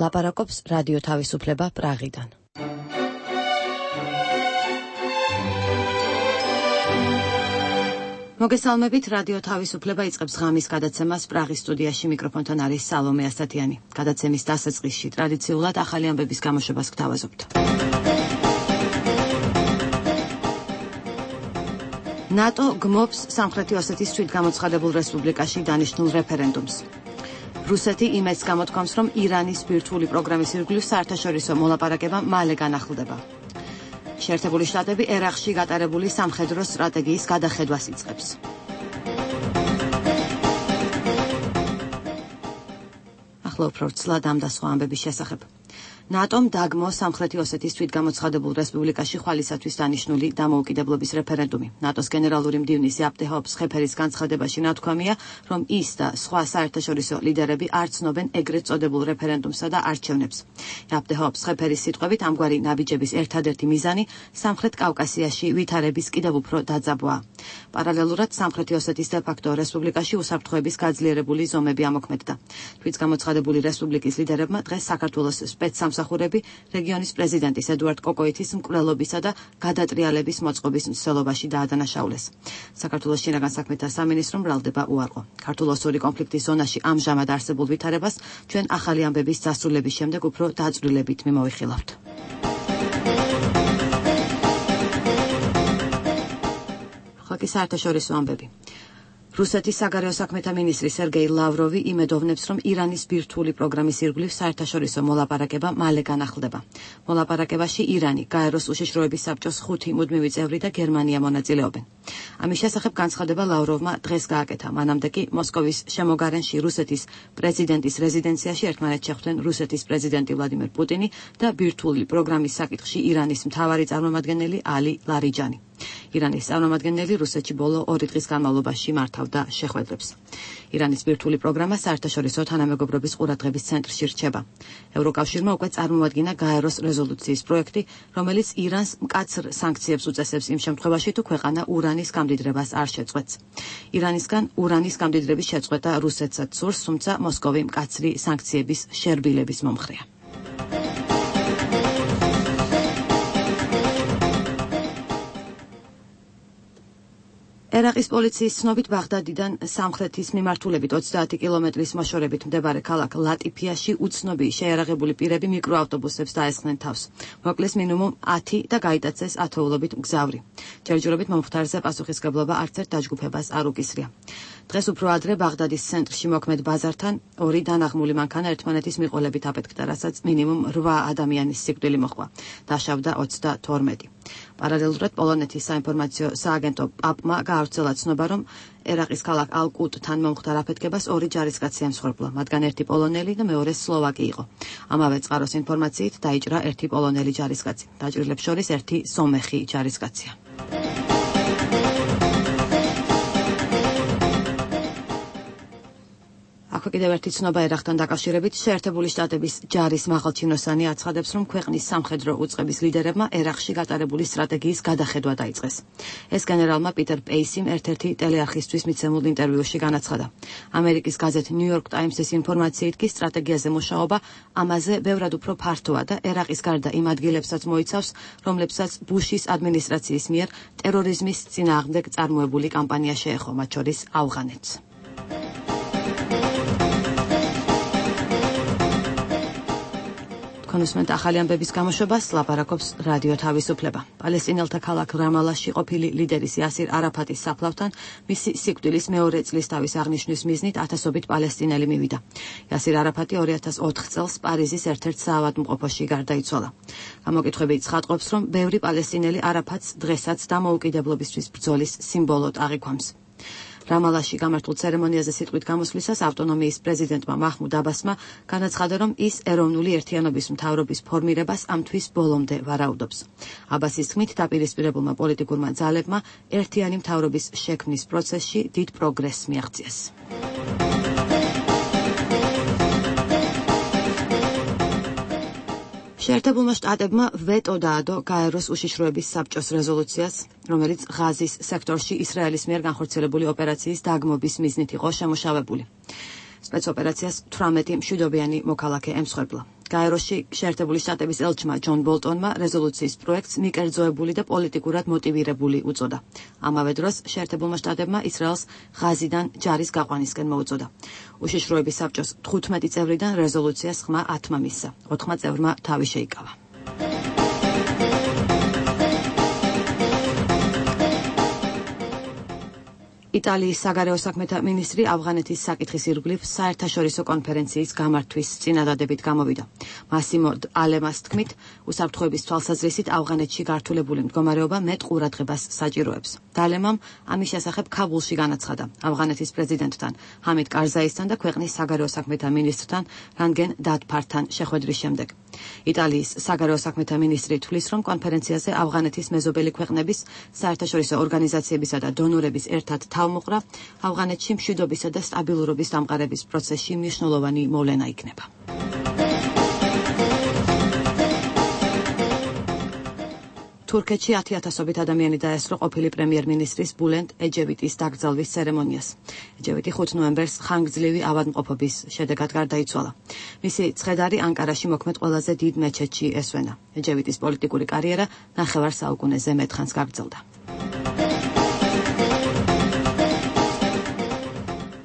ლაპარაკობს რადიო თავისუფლება პრაღიდან. მოგესალმებით, რადიო თავისუფლება იწყებს ღამის გადაცემას პრაღის სტუდიაში, მიკროფონთან არის სალომე ასათიანი. გადაცემის დასაწყისში ტრადიციულად ახალი ამბების გამოშვებას გთავაზობთ. ნატო გმობს სამხრეთი ოსეთის თვითგამოცხადებულ რესპუბლიკაში დანიშნულ რეფერენდუმს. რუსეთი იმედს გამოთქვამს, რომ ირანის ბირთვული პროგრამის ირგვლივ საერთაშორისო მოლაპარაკება მალე განახლდება. შეერთებული შტატები ერაყში გატარებული სამხედრო სტრატეგიის გადახედვას იწყებს. ახლა უფრო ცლად ამ და სხვა ამბების შესახებ. ნატომ დაგმო სამხრეთი ოსეთის თვითგამოცხადებულ რესპუბლიკაში ხვალისათვის დანიშნული დამოუკიდებლობის რეფერენდუმი. ნატოს გენერალური მდივნის იაპტეჰ სხეფერის განცხადებაში ნათქვამია, რომ ის და სხვა საერთაშორისო ლიდერები არ ცნობენ ეგრეთ წოდებულ რეფერენდუმსა და არჩევნებს. იაპტეჰ სხეფერის სიტყვებით, ამგვარი ნაბიჯების ერთადერთი მიზანი სამხრეთ კავკასიაში ვითარების კიდევ უფრო დაძაბვაა. პარალელურად სამხრეთი ოსეთის დე-ფაქტო რესპუბლიკაში უსაფრთხოების გაძლიერებული ზომები ამოქმედდა. თვითგამოცხადებული რესპუბლიკის ლიდერებმა დღეს საქართველოს სპეცსამსახურები რეგიონის პრეზიდენტის ედუარდ კოკოითის მკვლელობისა და გადატრიალების მოწყობის მსვლელობაში დაადანაშაულეს. საქართველოს შინაგან საქმეთა სამინისტრო მრავლდება უარყო. ქართულ-ოსური კონფლიქტის ზონაში ამჟამად არსებულ ვითარებას ჩვენ ახალი ამბების დასრულების შემდეგ უფრო დაწვრილებით მიმოვიხილავთ. ხალხი საერთაშორისო ამბები. რუსეთის საგარეო საქმეთა მინისტრი სერგეი ლავროვი იმედოვნებს, რომ ირანის ბირთვული პროგრამის ირგვლივ საერთაშორისო მოლაპარაკება მალე განახლდება. მოლაპარაკებაში ირანი, გაეროს უშიშროების საბჭოს 5 მუდმივი წევრი და გერმანია მონაწილეობენ. ამის შესახებ განცხადება ლავროვმა დღეს გააკეთა. მანამდე კი მოსკოვის შემოგარენში რუსეთის პრეზიდენტის რეზიდენციაში ერთმანეთს შეხვდნენ რუსეთის პრეზიდენტი ვლადიმერ პუტინი და ბირთვული პროგრამის საკითხში ირანის მთავარი წარმომადგენელი ალი ლარიჯანი. ირანის წარმომადგენელი რუსეთში ბოლო 2 დღის განმავლობაში მართავდა შეხვედრებს. ირანის ბირთვული პროგრამა საერთაშორისო თანამეგობრობის ყურადღების ცენტრში რჩება. ევროკავშირმა უკვე წარმოადგინა გაეროს რეზოლუციის პროექტი, რომელიც ირანს მკაცრ სანქციებს უწესებს იმ შემთხვევაში, თუ ქვეყანა ურანის გამდიდრებას არ შეწყვეტს. ირანისგან ურანის გამდიდრების შეწყვეტა რუსეთსაც სურს, თუმცა მოსკოვი მკაცრი სანქციების შერბილების მომხრეა. ერაყის პოლიციის ცნობით ბაღდადიდან სამხრეთის მიმართულებით 30 კილომეტრის მოშორებით მდებარე ქალაქ ლატიფიაში უცნობი შეიარაღებული პირები მიკროავტობუსებს დაესხნენ თავს. მოკლეს მინიმუმ 10 და გაიტაცეს ათეულობით მგზავრი. ჯერჯერობით მომხდარზე პასუხისგებლობა არც ერთ დაჯგუფებას არ უკისრია. დღეს უფრო ადრე ბაღდადის ცენტრში მოქმედ ბაზართან 2 დანაღმული მანქანა ერთმანეთის მიყოლებით აფეთქდა, რასაც მინიმუმ 8 ადამიანის სიკვდილი მოჰყვა. დაშავდა 32. პარალელურად პოლონეთის საინფორმაციო სააგენტო პაპმა გაავრცელა ცნობა, რომ ერაყის ქალაქ ალ-კუტთან მომხდარ აფეთქებას 2 ჯარისკაცი ემსხვერპლა, მათგან ერთი პოლონელი და მეორე სლოვაკი იყო. ამავე წყაროს ინფორმაციით დაიჭრა ერთი პოლონელი ჯარისკაცი. დაჭრილებს შორის ერთი სომეხი ჯარისკაცია. აქვე კიდევ ერთი ცნობა ერაყთან დაკავშირებით. შეერთებული შტატების ჯარის მაღალჩინოსანი აცხადებს, რომ ქვეყნის სამხედრო უწყების ლიდერებმა ერაყში გატარებული სტრატეგიის გადახედვა დაიწყეს. ეს გენერალმა პიტერ პეისიმ ერთ-ერთი ტელეარხისთვის მიცემულ ინტერვიუში განაცხადა. ამერიკის გაზეთ New York Times-ის ინფორმაციით კი სტრატეგიაზე მუშაობა ამაზე ბევრად უფრო ფართოა და ერაყის გარდა იმ ადგილებსაც მოიცავს, რომლებსაც ბუშის ადმინისტრაციის მიერ ტერორიზმის წინააღმდეგ წარმოებული კამპანია შეეხო, მათ შორის ავღანეთს. კონსმენტ ახალი ამბების გამოშვებას ლაპარაკობს რადიო თავისუფლება. პალესტინელთა ქალაქ რამალაში ყოფილი ლიდერის იასირ არაფატის საფლავთან მისი სიკვდილის მეორე წლისთავის აღნიშვნის მიზნით ათასობით პალესტინელი მივიდა. იასირ არაფატი 2004 წელს პარიზის ერთ-ერთ საავადმყოფოში გარდაიცვალა. გამოკითხვები ცხადყოფს, რომ ბევრი პალესტინელი არაფატს დღესაც დამოუკიდებლობისთვის ბრძოლის სიმბოლოდ აღიქვამს. რამალაში გამართულ ცერემონიაზე სიტყვით გამოსვლისას ავტონომიის პრეზიდენტმა მაჰმუდ აბასმა განაცხადა, რომ ის ეროვნული ერთიანობის მთავრობის ფორმირებას ამ თვის ბოლომდე ვარაუდობს. აბასის თქმით, დაპირისპირებულმა პოლიტიკურმა ძალებმა ერთიანი მთავრობის შექმნის პროცესში დიდ პროგრესს მიაღწიეს. შეერთებულმა შტატებმა ვეტო დაადო გაეროს უშიშროების საბჭოს რეზოლუციას, რომელიც ღაზის სექტორში ისრაელის მიერ განხორციელებული ოპერაციის დაგმობის მიზნით იყო შემუშავებული. სპეცოპერაციას 18 მშვიდობიანი მოქალაქე ემსხვერპლა. გაეროში შეერთებული შტატების ელჩმა ჯონ ბოლტონმა რეზოლუციის პროექტს მიკერძოებული და პოლიტიკურად მოტივირებული უწოდა. ამავე დროს შეერთებულმა შტატებმა ისრაელს ღაზიდან ჯარის გაყვანისკენ მოუწოდა. უშიშროების საბჭოს 15 წევრიდან რეზოლუციას ხმა 10-მა მისცა. 4 წევრმა თავი შეიკავა. იტალიის საგარეო საქმეთა მინისტრი ავღანეთის საკითხის ირგვლივ საერთაშორისო კონფერენციის გამართვის წინადადებით გამოვიდა. მასიმო ალემას თქმით, უსაფრთხოების თვალსაზრისით ავღანეთში გართულებული მდგომარეობა მეტ ყურადღებას საჭიროებს. დალემამ ამის შესახებ ქაბულში განაცხადა ავღანეთის პრეზიდენტთან, ჰამიდ კარზაისთან და ქვეყნის საგარეო საქმეთა მინისტრთან რანგენ დათფართან შეხვედრის შემდეგ. იტალიის საგარეო საქმეთა მინისტრი თვლის, რომ კონფერენციაზე ავღანეთის მეზობელი ქვეყნების, საერთაშორისო ორგანიზაციებისა და დონორების ერთად თავმოყრა ავღანეთში მშვიდობისა და სტაბილურობის დამყარების პროცესში მნიშვნელოვანი მოვლენა იქნება. თურქეთში 10,000-ობით ადამიანი დაესწრო ყოფილი პრემიერ-მინისტრის ბულენტ ეჯევიტის დაკრძალვის ცერემონიას. ეჯევიტი 5 ნოემბერს ხანგრძლივი ავადმყოფობის შედეგად გარდაიცვალა. მისი ცხედარი ანკარაში მოქმედ ყველაზე დიდ მეჩეთში ესვენა. ეჯევიტის პოლიტიკური კარიერა 9 საუკუნეზე მეტხანს გაგრძელდა.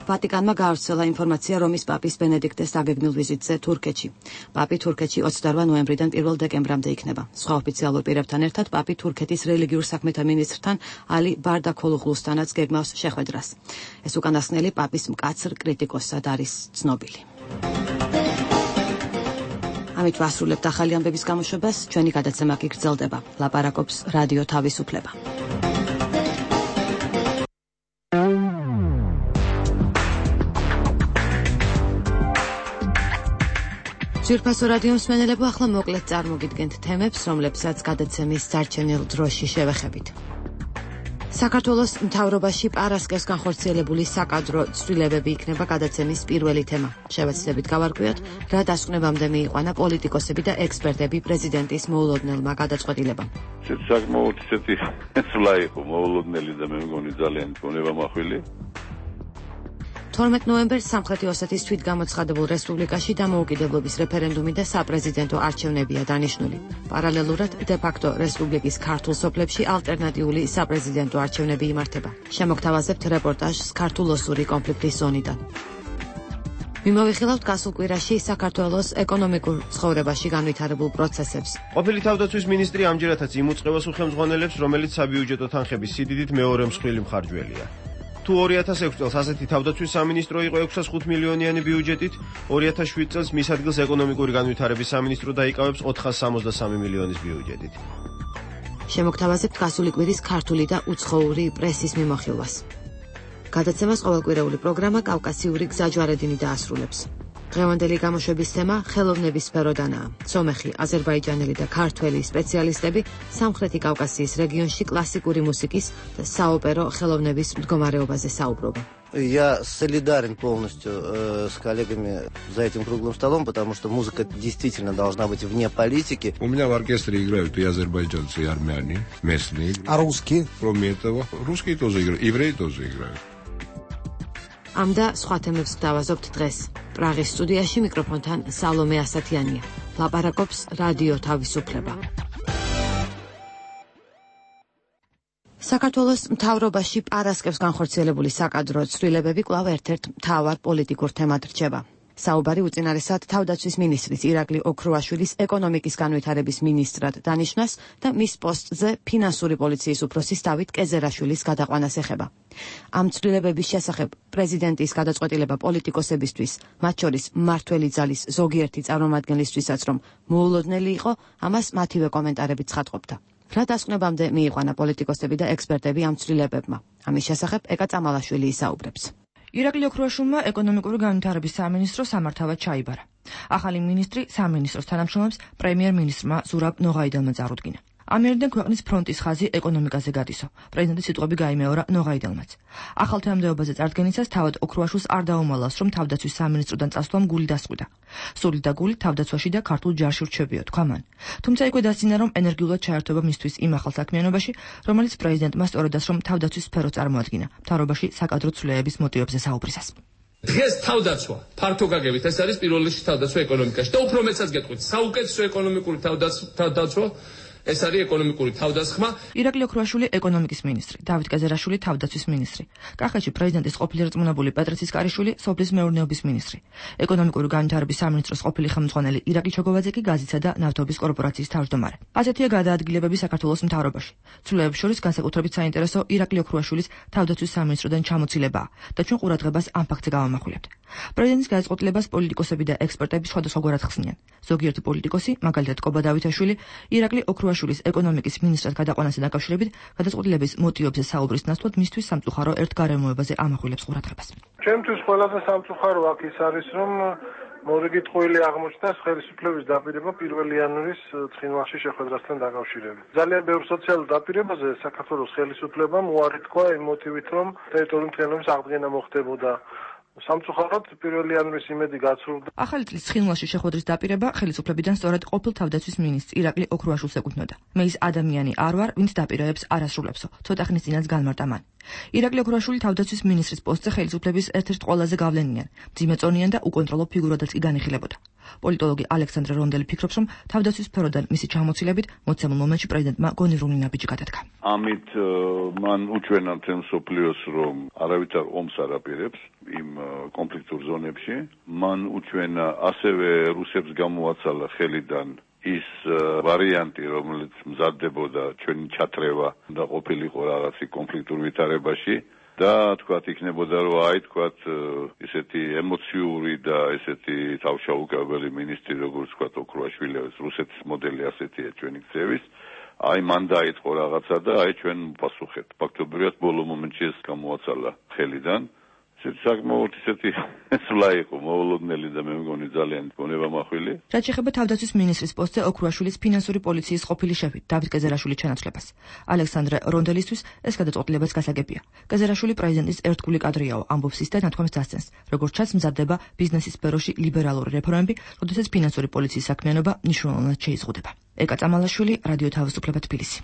ვატიკანმა გაავრცელა ინფორმაცია რომის პაპის ბენედიქტეს დაგეგმილ ვიზიტზე თურქეთში. პაპი თურქეთში 28 ნოემბრიდან 1 დეკემბრამდე იქნება. სხვა ოფიციალურ პირებთან ერთად პაპი თურქეთის რელიგიურ საქმეთა მინისტრთან ალი ბარდაქოლუღლუსთანაც გეგმავს შეხვედრას. ეს უკანასკნელი პაპის მკაცრ კრიტიკოსად არის ცნობილი. ამით ვასრულებთ ახალი ამბების გამოშვებას. ჩვენი გადაცემა კი გრძელდება. ლაპარაკობს რადიო თავისუფლება. ძვირფასო რადიო მსმენელებო, ახლა მოკლედ წარმოგიდგენთ თემებს, რომლებსაც გადაცემის დარჩენილ დროში შევეხებით. საქართველოს მთავრობაში პარასკევს განხორციელებული საკადრო ცვლილებები იქნება გადაცემის პირველი თემა. შევეცდებით გავარკვიოთ, რა დასკვნებამდე მიიყვანა პოლიტიკოსები და ექსპერტები პრეზიდენტის მოულოდნელმა გადაწყვეტილებამ. საკმაოდ ისეთი ცვლა იყო მოულოდნელი და მე მგონი ძალიან გონებამახვილი. 12 ნოემბერს სამხრეთი ოსეთის თვითგამოცხადებულ რესპუბლიკაში დამოუკიდებლობის რეფერენდუმი და საპრეზიდენტო არჩევნებია დანიშნული. პარალელურად დე-ფაქტო რესპუბლიკის ქართულ სოფლებში ალტერნატიული საპრეზიდენტო არჩევნები იმართება. შემოგთავაზებთ რეპორტაჟს ქართულ-ოსური კონფლიქტის ზონიდან. მიმოვიხილავთ გასულ კვირაში საქართველოს ეკონომიკურ ცხოვრებაში განვითარებულ პროცესებს. ყოფილი თავდაცვის მინისტრი ამჯერადაც იმუწყებოს უხელმძღვანელებს, რომელიც საბიუჯეტო თანხების სიდიდით მეორე მსხვილი მხარჯველია. თუ 2006 წელს ასეთი თავდაცვის სამინისტრო იყო 605 მილიონიანი ბიუჯეტით, 2007 წელს მის ადგილს ეკონომიკური განვითარების სამინისტრო დაიკავებს 463 მილიონის ბიუჯეტით. შემოგთავაზებთ გასული კვირის ქართული და უცხოური პრესის მიმოხილვას. გადაცემას ყოველკვირეული პროგრამა კავკასიური გზაჯვარედინი დაასრულებს. დღევანდელი გამოშვების თემა ხელოვნების სფეროდანაა. სომეხი, აზერბაიჯანელი და ქართველი სპეციალისტები სამხრეთი კავკასიის რეგიონში კლასიკური მუსიკის და საოპერო ხელოვნების მდგომარეობაზე საუბრობენ. Я солидарен полностью с коллегами за этим круглым столом, потому что музыка действительно должна быть вне политики. У меня в оркестре играют и азербайджанцы, и армяне, местные. А русские? Кроме этого, русские тоже играют, евреи тоже играют. ამ და სხვა თემებს გვთავაზობთ დღეს. პრაღის სტუდიაში მიკროფონთან სალომე ასათიანია. ლაპარაკობს რადიო თავისუფლება. საქართველოს მთავრობაში პარასკევს განხორციელებული საკადრო ცვლილებები კვლავ ერთ-ერთ მთავარ პოლიტიკურ თემად რჩება. საუბარი უწინარესად თავდაცვის მინისტრის ირაკლი ოქროაშვილის ეკონომიკის განვითარების მინისტრად დანიშნას და მის პოსტზე ფინანსური პოლიციის უფროსის დავით კეზერაშვილის გადაყვანას ეხება. ამ ცვლილებების შესახებ პრეზიდენტის გადაწყვეტილება პოლიტიკოსებისთვის, მათ შორის მმართველი ძალის ზოგიერთი წარმომადგენლისთვისაც რომ მოულოდნელი იყო, ამას მათივე კომენტარებით ცხადყოფდა. რა დასკვნებამდე მიიყვანა პოლიტიკოსები და ექსპერტები ამ ცვლილებებმა? ამის შესახებ ეკა წამალაშვილი ისაუბრებს. ირაკლი ოქროაშვილმა ეკონომიკური განვითარების სამინისტრო სამართავად ჩაიბარა. ახალი მინისტრი სამინისტროს თანამშრომლებს პრემიერ-მინისტრმა ზურაბ ნოღაიდელმა წარუდგინა. ამიერიდან ქვეყნის ფრონტის ხაზი ეკონომიკაზე გადისო. პრეზიდენტის სიტყვები გაიმეორა ნოღაიდელმაც. ახალ თანამდებობაზე წარდგენისას თავად ოქროაშვილს არ დაუმალავს, რომ თავდაცვის სამინისტროდან წასვლამ გული დასყვიდა. სული და გული თავდაცვაში და ქართულ ჯარში რჩებიო, თქვა მან. თუმცა იქვე დასძინა, რომ ენერგიულად ჩაერთვება მისთვის იმ ახალ საქმიანობაში, რომელიც პრეზიდენტმა სწორედაც რომ თავდაცვის სფერო წარმოადგინა, მთავრობაში საკადრო ცვლილებების მოტივებზე საუბრისას. დღეს თავდაცვა ფართო გაგებით ეს არის პირველ რიგში თავდაცვა ეკონომიკაში და უფრო მეცაც გეტყვით საუკეთესო ეკონომიკური თავდაცვა ეს არის ეკონომიკური თავდასხმა. ირაკლი ოქრუაშვილი ეკონომიკის მინისტრი, დავით კეზერაშვილი თავდაცვის მინისტრი, კახეთში პრეზიდენტის ყოფილი რწმუნებული პეტრე ცისკარიშვილი სოფლის მეურნეობის მინისტრი, ეკონომიკური განვითარების სამინისტროს ყოფილი ხელმძღვანელი ირაკლი ჩოგოვაძე კი გაზიცისა და ნავთობის კორპორაციის თავმჯდომარე. ასეთია გადაადგილებები საქართველოს მთავრობაში. ცვლილებებს შორის განსაკუთრებით საინტერესო ირაკლი ოქრუაშვილის თავდაცვის სამინისტროდან ჩამოცილებაა და ჩვენ ყურადღებას ამ ფაქტზე გავამახვილებთ. პრეზიდენტის გადაწყვეტილებას პოლიტიკოსები და ექსპერტები სხვადასხვაგვარად ხსნიან. ზოგიერთი პოლიტიკოსი, მაგალითად კობა დავითაშვილი, ირაკლი ოქრუაშვილის ეკონომიკის მინისტრად გადაყვანასთან დაკავშირებით გადაწყვეტილების მოტივებზე საუბრის ნაცვლად მისთვის სამწუხარო ერთ გარემოებაზე ამახვილებს ყურადღებას. ჩემთვის ყველაზე სამწუხარო აქ ის არის, რომ მორიგიტყვილი აღმოჩნდა ხელისუფლების დაპირება 1 იანვრის ცხინვალში შეხვედრასთან დაკავშირებით. ძალიან ბევრ სოციალურ დაპირებაზე საქართველოს ხელისუფლებამ უარი თქვა იმ მოტივით, რომ ტერიტორიული მთლიანობის აღდგენა მოხდებოდა. სამწუხაროდ 1 იანვრის იმედი გაცურდა. ახალი წლის ცხინვალში შეხვედრის დაპირება ხელისუფლებიდან სწორედ ყოფილ თავდაცვის მინისტრ ირაკლი ოქრუაშვილს ეკუთვნოდა. მე ის ადამიანი არ ვარ, ვინც დაპირებებს არ ასრულებსო. ცოტა ხნის წინაც განმარტა მან. ირაკლი ოქრუაშვილი თავდაცვის მინისტრის პოსტზე ხელისუფლების ერთ-ერთ ყველაზე გავლენიან, მძიმეწონიან და უკონტროლო ფიგურადაც კი განიხილებოდა. პოლიტოლოგი ალექსანდრე რონდელი ფიქრობს, რომ თავდაცვის სფეროდან მისი ჩამოცილებით მოცემულ მომენტში პრეზიდენტმა გონივრული ნაბიჯი გადადგა. ამით მან უჩვენა მთელ მსოფლიოს, რომ არავითარ ომს არ აპირებს იმ კონფლიქტურ ზონებში. მან უჩვენა ასევე რუსებს გამოაცალა ხელიდან ის ვარიანტი, რომელიც მზადდებოდა ჩვენი ჩათრევა და ყოფილიყო რაღაცი კონფლიქტურ ვითარებაში და თქვათ იქნებოდა რომ თქვათ ესეთი ემოციური და ესეთი თავშეუგებელი მინისტრი როგორც თქვათ ოქრუაშვილი, რუსეთის მოდელი ასეთია ჩვენი ქცევის. მან დაიწყო რაღაცა და ჩვენ პასუხეთ. ფაქტობრივად ბოლო მომენტში ეს გამოაცალა ხელიდან. საკმაოდ ისეთი სვლა იყო მოულოდნელი და მე მგონი ძალიან გონებამახვილი. რაც შეეხება თავდაცვის მინისტრის პოსტზე ოქრუაშვილის ფინანსური პოლიციის ყოფილი შეფი დავით კეზერაშვილის ჩანაცვლებას. ალექსანდრე რონდელისთვის ეს გადაწყვეტილებაც გასაგებია. კეზერაშვილი პრეზიდენტის ერთგული კადრიაო, ამბობს ის და ნათქვამს დასცენს. როგორც ჩანს, მზადდება ბიზნესის სფეროში ლიბერალური რეფორმები, როდესაც ფინანსური პოლიციის საქმიანობა მნიშვნელოვნად შეიზღუდება. ეკა წამალაშვილი, რადიო თავისუფლება თბილისი.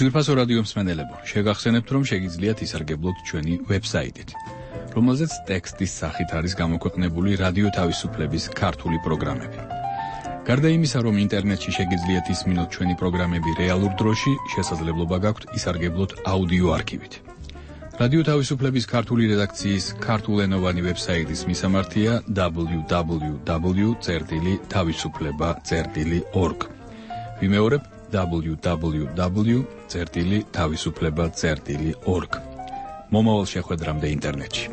ძვირფასო რადიო მსმენელებო, შეგახსენებთ, რომ შეგიძლიათ ისარგებლოთ ჩვენი ვებსაიტით, რომელზეც ტექსტის სახით არის გამოქვეყნებული რადიო თავისუფლების ქართული პროგრამები. გარდა იმისა, რომ ინტერნეტში შეგიძლიათ ისმინოთ ჩვენი პროგრამები რეალურ დროში, შესაძლებლობა გაქვთ ისარგებლოთ აუდიო არქივით. რადიო თავისუფლების ქართული რედაქციის ქართულენოვანი ვებსაიტის მისამართია www.tavisufleba.org. ვიმეორებ www.tavisufleba.org. მომავალ შეხვედრამდე ინტერნეტში.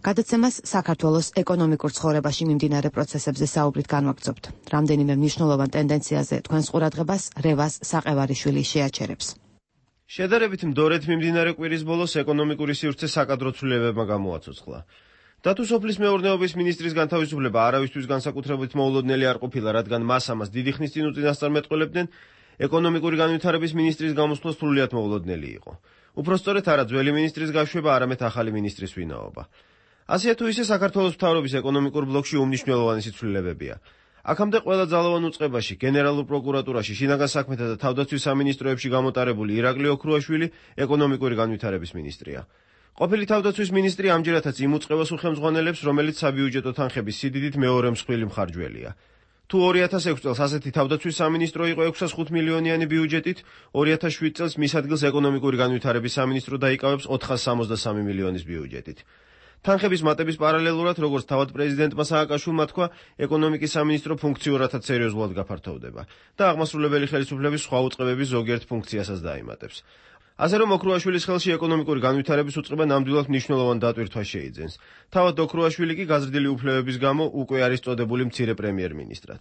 გადაცემას საქართველოს ეკონომიკურ ცხოვრებაში მიმდინარე პროცესებზე საუბრით განვაგრძობთ. რამდენიმე მნიშვნელოვან ტენდენციაზე თქვენს ყურადღებას რევაზ საყევარიშვილი შეაჩერებს. შედარებით მდორედ მიმდინარე კვირის ბოლოს ეკონომიკური სივრცე საკადრო ცვლილებებმა გამოაცოცხლა. დათო სოფლის მეურნეობის მინისტრის განთავისუფლება არავისთვის განსაკუთრებით მოულოდნელი არ ყოფილა, რადგან მას ამას დიდი ხნის წინ უწინასწარმეტყველებდნენ, ეკონომიკური განვითარების მინისტრის გამოსვლა სრულიად მოულოდნელი იყო. უფრო სწორედ არა ძველი მინისტრის გაშვება, არამედ ახალი მინისტრის ვინაობა. ასეა თუ ისე საქართველოს მთავრობის ეკონომიკურ ბლოკში უმნიშვნელოვანესი ცვლილებებია. აქამდე ყველა ძალოვან უწყებაში, გენერალურ პროკურატურაში, შინაგან საქმეთა და თავდაცვის სამინისტროებში გამოტარებული ირაკლი ოქრუაშვილი ეკონომიკური განვითარების მინისტრია. ყოფილი თავდაცვის მინისტრი ამჯერადაც იმ უწყებას უხელმძღვანელებს, რომელიც საბიუჯეტო თანხების სიდიდით მეორე მსხვილი მხარჯველია. თუ 2006 წელს ასეთი თავდაცვის სამინისტრო იყო 605 მილიონიანი ბიუჯეტით, 2007 წელს მის ადგილს ეკონომიკური განვითარების სამინისტრო დაიკავებს 463 მილიონის ბიუჯეტით. თანხების მატების პარალელურად, როგორც თავად პრეზიდენტმა სააკაშვილმა თქვა, ეკონომიკის სამინისტრო ფუნქციურადაც სერიოზულად გაფართოვდება და აღმასრულებელი ხელისუფლების სხვა უწყებების ზოგიერთ ფუნქციასაც დაიმატებს. ასე რომ ოქრუაშვილის ხელში ეკონომიკური განვითარების უწყება ნამდვილად მნიშვნელოვან დატვირთვას შეიძენს. თავად ოქრუაშვილი კი გაზრდილი უფლებების გამო უკვე არის წოდებული მცირე პრემიერ-მინისტრად.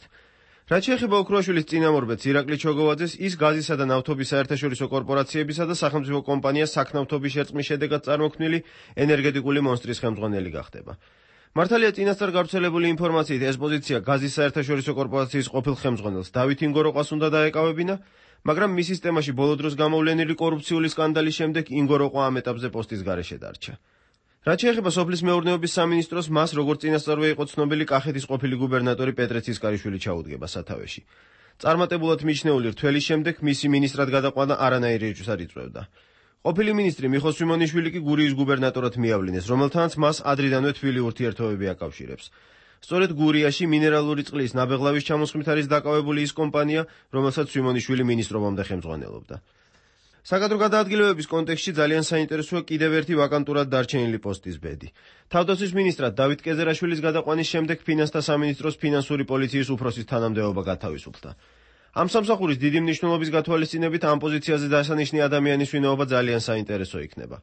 რაც შეეხება ოქრუაშვილის წინამორბედს ირაკლი ჩოგოვაძეს, ის გაზისა და ნავთობის საერთაშორისო კორპორაციებისა და სახელმწიფო კომპანია საქნავთობის შერწყმის შედეგად წარმოქმნილი ენერგეტიკული მონსტრის ხელმძღვანელი გახდება. მართალია წინასწარ გავრცელებული ინფორმაციით ეს პოზიცია გაზის საერთაშორისო კორპორაციის ყოფილ ხელმძღვანელს დავით ინგოროყვას უნდა დაეკავებინა, მაგრამ მის სისტემაში ბოლო დროს გამოვლენილი კორუფციული სკანდალის შემდეგ ინგოროყვა ამ ეტაპზე პოსტის გარეშე დარჩა. რაც შეეხება სოფლის მეურნეობის სამინისტროს, მას როგორც წინასწარვე იყო ცნობილი კახეთის ყოფილი გუბერნატორი პეტრე ცისკარიშვილი ჩაუდგება სათავეში. წარმატებულად მიჩნეული რთველის შემდეგ მისი მინისტრად გადაყვანა არანაირი ეჭვს არ იწვევდა. ყოფილი მინისტრი მიხო სვიმონიშვილი კი გურიის გუბერნატორად მიავლინეს, რომელთანაც მას ადრიდანვე თბილი ურთიერთობები აკავშირებს. სწორედ გურიაში მინერალური წყლის ნაბეღლავის ჩამოსხმით არის დაკავებული ის კომპანია, რომელსაც სვიმონიშვილი მინისტრობამდე ხელმძღვანელობდა. საკადრო გადაადგილებების კონტექსტში ძალიან საინტერესოა კიდევ ერთი ვაკანტურად დარჩენილი პოსტის ბედი. თავდაცვის მინისტრად დავით კეზერაშვილის გადაყვანის შემდეგ ფინანსთა სამინისტროს ფინანსური პოლიციის უფროსის თანამდებობა გათავისუფლდა. ამ სამსახურის დიდი მნიშვნელობის გათვალისწინებით ამ პოზიციაზე დასანიშნი ადამიანის ვინაობა ძალიან საინტერესო იქნება.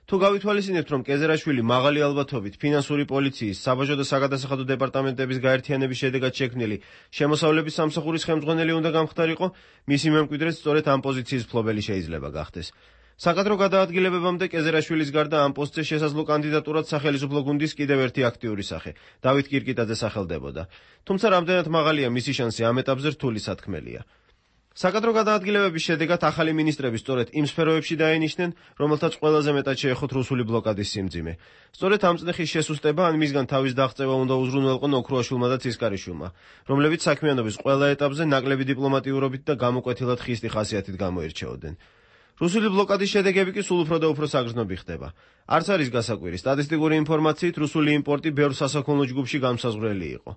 თუ გავითვალისწინებთ, რომ კეზერაშვილი მაღალი ალბათობით ფინანსური პოლიციის, საბაჟო და საგადასახადო დეპარტამენტების გაერთიანების შედეგად შექმნილი შემოსავლების სამსახურის ხელმძღვანელი უნდა გამხდარიყო, მისი მემკვიდრეც სწორედ ამ პოზიციის მფლობელი შეიძლება გახდეს. საკადრო გადაადგილებებამდე კეზერაშვილის გარდა ამ პოსტზე შესაძლო კანდიდატურად სახელმწიფო გუნდის კიდევ ერთი აქტიური სახე, დავით კირკიტაძე სახელდებოდა. თუმცა რამდენად მაღალია მისი შანსი ამ ეტაპზე რთული სათქმელია. საკადრო გადაადგილებების შედეგად ახალი მინისტრები სწორედ იმ სფეროებში დაენიშნენ, რომელთაც ყველაზე მეტად შეეხოთ რუსული ბლოკადის სიმძიმე. სწორედ ამ წნეხის შესუსტება ან მისგან თავის დაღწევა უნდა უზრუნველყო ოქროაშვილმა და ცისკარიშვილმა, რომლებიც საქმიანობის ყველა ეტაპზე ნაკლები დიპლომატიურობით და გამოკვეთილად ხისტი ხასიათით გამოირჩეოდნენ. რუსული ბლოკადის შედეგები კი სულ უფრო და უფრო საგრძნობი ხდება. არც არის გასაკვირი, სტატისტიკური ინფორმაციით რუსული იმპორტი ბევრ სასაქონლო ჯგუფში გამსაზღვრელი იყო.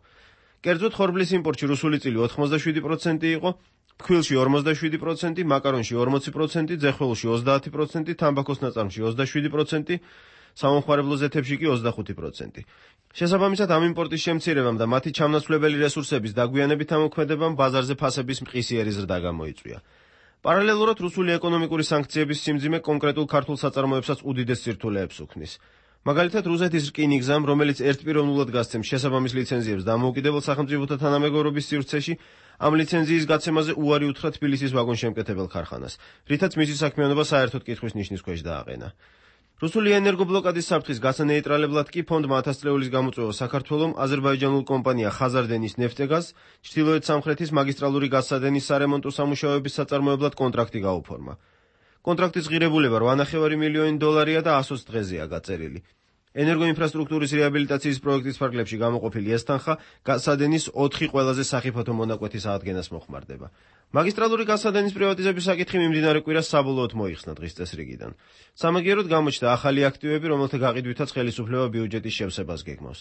კერძოდ ხორბლის იმპორტში რუსული წილი 87% იყო, ფქვილში 47%, მაკარონში 40%, ძეხველში 30%, თამბაქოს ნაწარმში 27%, სამომხმარებლო ზეთებში კი 25%. შესაბამისად ამ იმპორტის შემცირებამ და მათი ჩამნაცვლებელი რესურსების დაგვიანებით ამოქმედებამ ბაზარზე ფასების მყისიერი ზრდა გამოიწვია. პარალელურად რუსული ეკონომიკური სანქციების სიმძიმე კონკრეტულ ქართულ საწარმოებსაც უდიდეს სირთულეებს უქმნის. მაგალითად, რუსეთის რკინიგზამ, რომელიც ერთპიროვნულად გასცემს შესაბამის ლიცენზიებს დამოუკიდებელ სახელმწიფოთა თანამეგობრობის სივრცეში, ამ ლიცენზიის გაცემაზე უარი უთხრა თბილისის ვაგონშემკეთებელ ქარხანას, რითაც მისი საქმიანობა საერთოდ კითხვის ნიშნის ქვეშ დააყენა. რუსული ენერგობლოკადის საფრთხის გასანეიტრალებლად კი ფონდმა 1000 წლეულის გამოწვევა საქართველომ აზერბაიჯანულ კომპანია ხაზარდენის ნეფტეგაზ ჩრდილოეთ სამხრეთის მაგისტრალური გაზსადენის სარემონტო სამუშაოების საწარმოებლად კონტრაქტი გაუფორმა. კონტრაქტის ღირებულება 8,5 მილიონი დოლარია და 120 დღეზეა გაწერილი. ენერგოინფრასტრუქტურის რეაბილიტაციის პროექტის ფარგლებში გამოყოფილი ეს თანხა გაზსადენის 4 ყველაზე სახიფათო მონაკვეთის აღდგენას მოხმარდება. მაგისტრალური გაზსადენის პრივატიზების საკითხი მიმდინარე კვირას საბოლოოდ მოიხსნა დღის წესრიგიდან. სამაგიეროდ გამოჩნდა ახალი აქტივები, რომელთა გაყიდვითაც ხელისუფლება ბიუჯეტის შევსებას გეგმავს.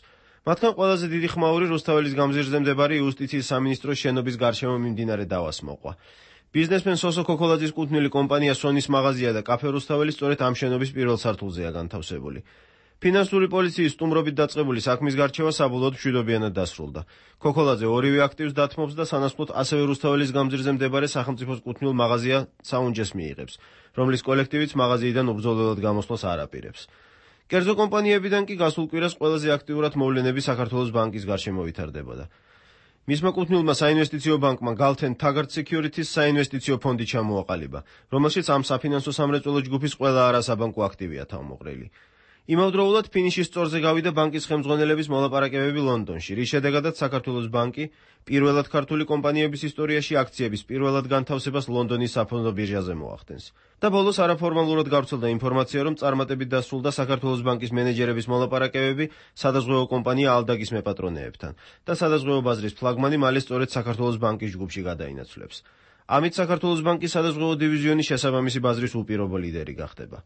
მათგან ყველაზე დიდი ხმაური რუსთაველის გამზირზე მდებარე იუსტიციის სამინისტროს შენობის გარშემო მიმდინარე დავას მოყვა. ბიზნესმენ სოსო ქოქოლაძის კუთვნილი კომპანია სონის მაღაზია და კაფე რუსთაველი სწორედ ამ შენობის პირველ სართულზეა განთავსებული. ფინანსური პოლიციის სტუმრობით დაწყებული საქმის გარჩევა საბოლოოდ მშვიდობიანად დასრულდა. ქოქოლაძე ორივე აქტივს დათმობს და სანაცვლოდ ასევე რუსთაველის გამზირზე მდებარე სახელმწიფოს კუთვნილ მაღაზია საუნჯეს მიიღებს, რომლის კოლექტივიც მაღაზიიდან უბრძოლველად გამოსვლას არ აპირებს. კერძო კომპანიებიდან კი გასულ კვირას ყველაზე აქტიურად მოვლენები საქართველოს ბანკის გარშემო ვითარდებოდა. მისმა კუთვნილმა საინვესტიციო ბანკმა Galten Taggart Securities საინვესტიციო ფონდი ჩამოაყალიბა, რომელშიც ამ საფინანსო სამრეწველო ჯგუფის ყველა არასაბანკო აქტივია თავმოყრილი. იმავდროულად ფინიშის სწორზე გავიდა ბანკის ხელმძღვანელების მოლაპარაკებები ლონდონში, რის შედეგადაც საქართველოს ბანკი პირველად ქართული კომპანიების ისტორიაში აქციების პირველად განთავსებას ლონდონის საფონდო ბირჟაზე მოახდენს. და ბოლოს არაფორმალურად გავრცელდა ინფორმაცია, რომ წარმატებით დასრულდა საქართველოს ბანკის მენეჯერების მოლაპარაკებები სადაზღვევო კომპანია ალდაგის მეპატრონეებთან და სადაზღვევო ბაზრის ფლაგმანი მალე სწორედ საქართველოს ბანკის ჯგუფში გადაინაცვლებს. ამით საქართველოს ბანკის სადაზღვევო დივიზიონის შესაბამისი ბაზრის უპირობო ლიდერი გახდება.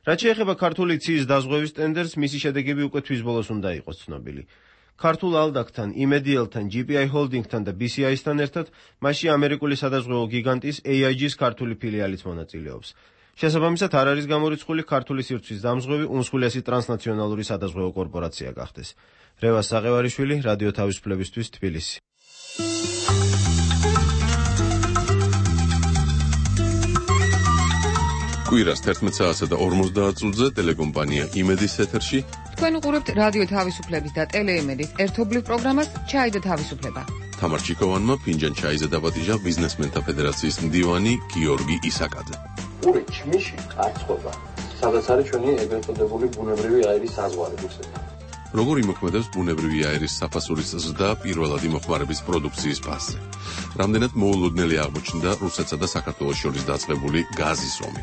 რაც შეეხება ქართული ციის დაზღვევის ტენდერს, მისი შედეგები უკვე თვის ბოლოს უნდა იყოს ცნობილი. ქართულ ალდაგთან, იმედიელთან, GPI Holding-თან და BCI-სთან ერთად მასში ამერიკული სადაზღვევო გიგანტის AIG-ს ქართული ფილიალიც მონაწილეობს. შესაბამისად არ არის გამორიცხული ქართული სივრცის დამზღვევი უმსხვილესი ტრანსნაციონალური სადაზღვევო კორპორაცია გახდეს. რევას საყევარიშვილი, რადიო თავისუფლებისთვის, თბილისი. კვირას 11 საათსა და 50 წუთზე ტელეკომპანია იმედის ეთერში. თქვენ უყურებთ რადიო თავისუფლების და ტელეიმედის ერთობლივ პროგრამას ჩაი და თავისუფლება. თამარ ჩიკოვანმა ფინჯან ჩაიზე დაბადიჟა ბიზნესმენთა ფედერაციის მდივანი გიორგი ისაკაძე. ორი ჩმიში კარცხობა, სადაც არის ჩვენი ეგრეთ წოდებული ბუნებრივი აირის საზღვარი რუსეთთან. როგორ იმოქმედებს ბუნებრივი აერის საფასურის ზრდა პირველად იმოხმარების პროდუქციის ფასზე. რამდენად მოულოდნელი აღმოჩნდა რუსეთსა და საქართველოს შორის დაწყებული გაზის ომი.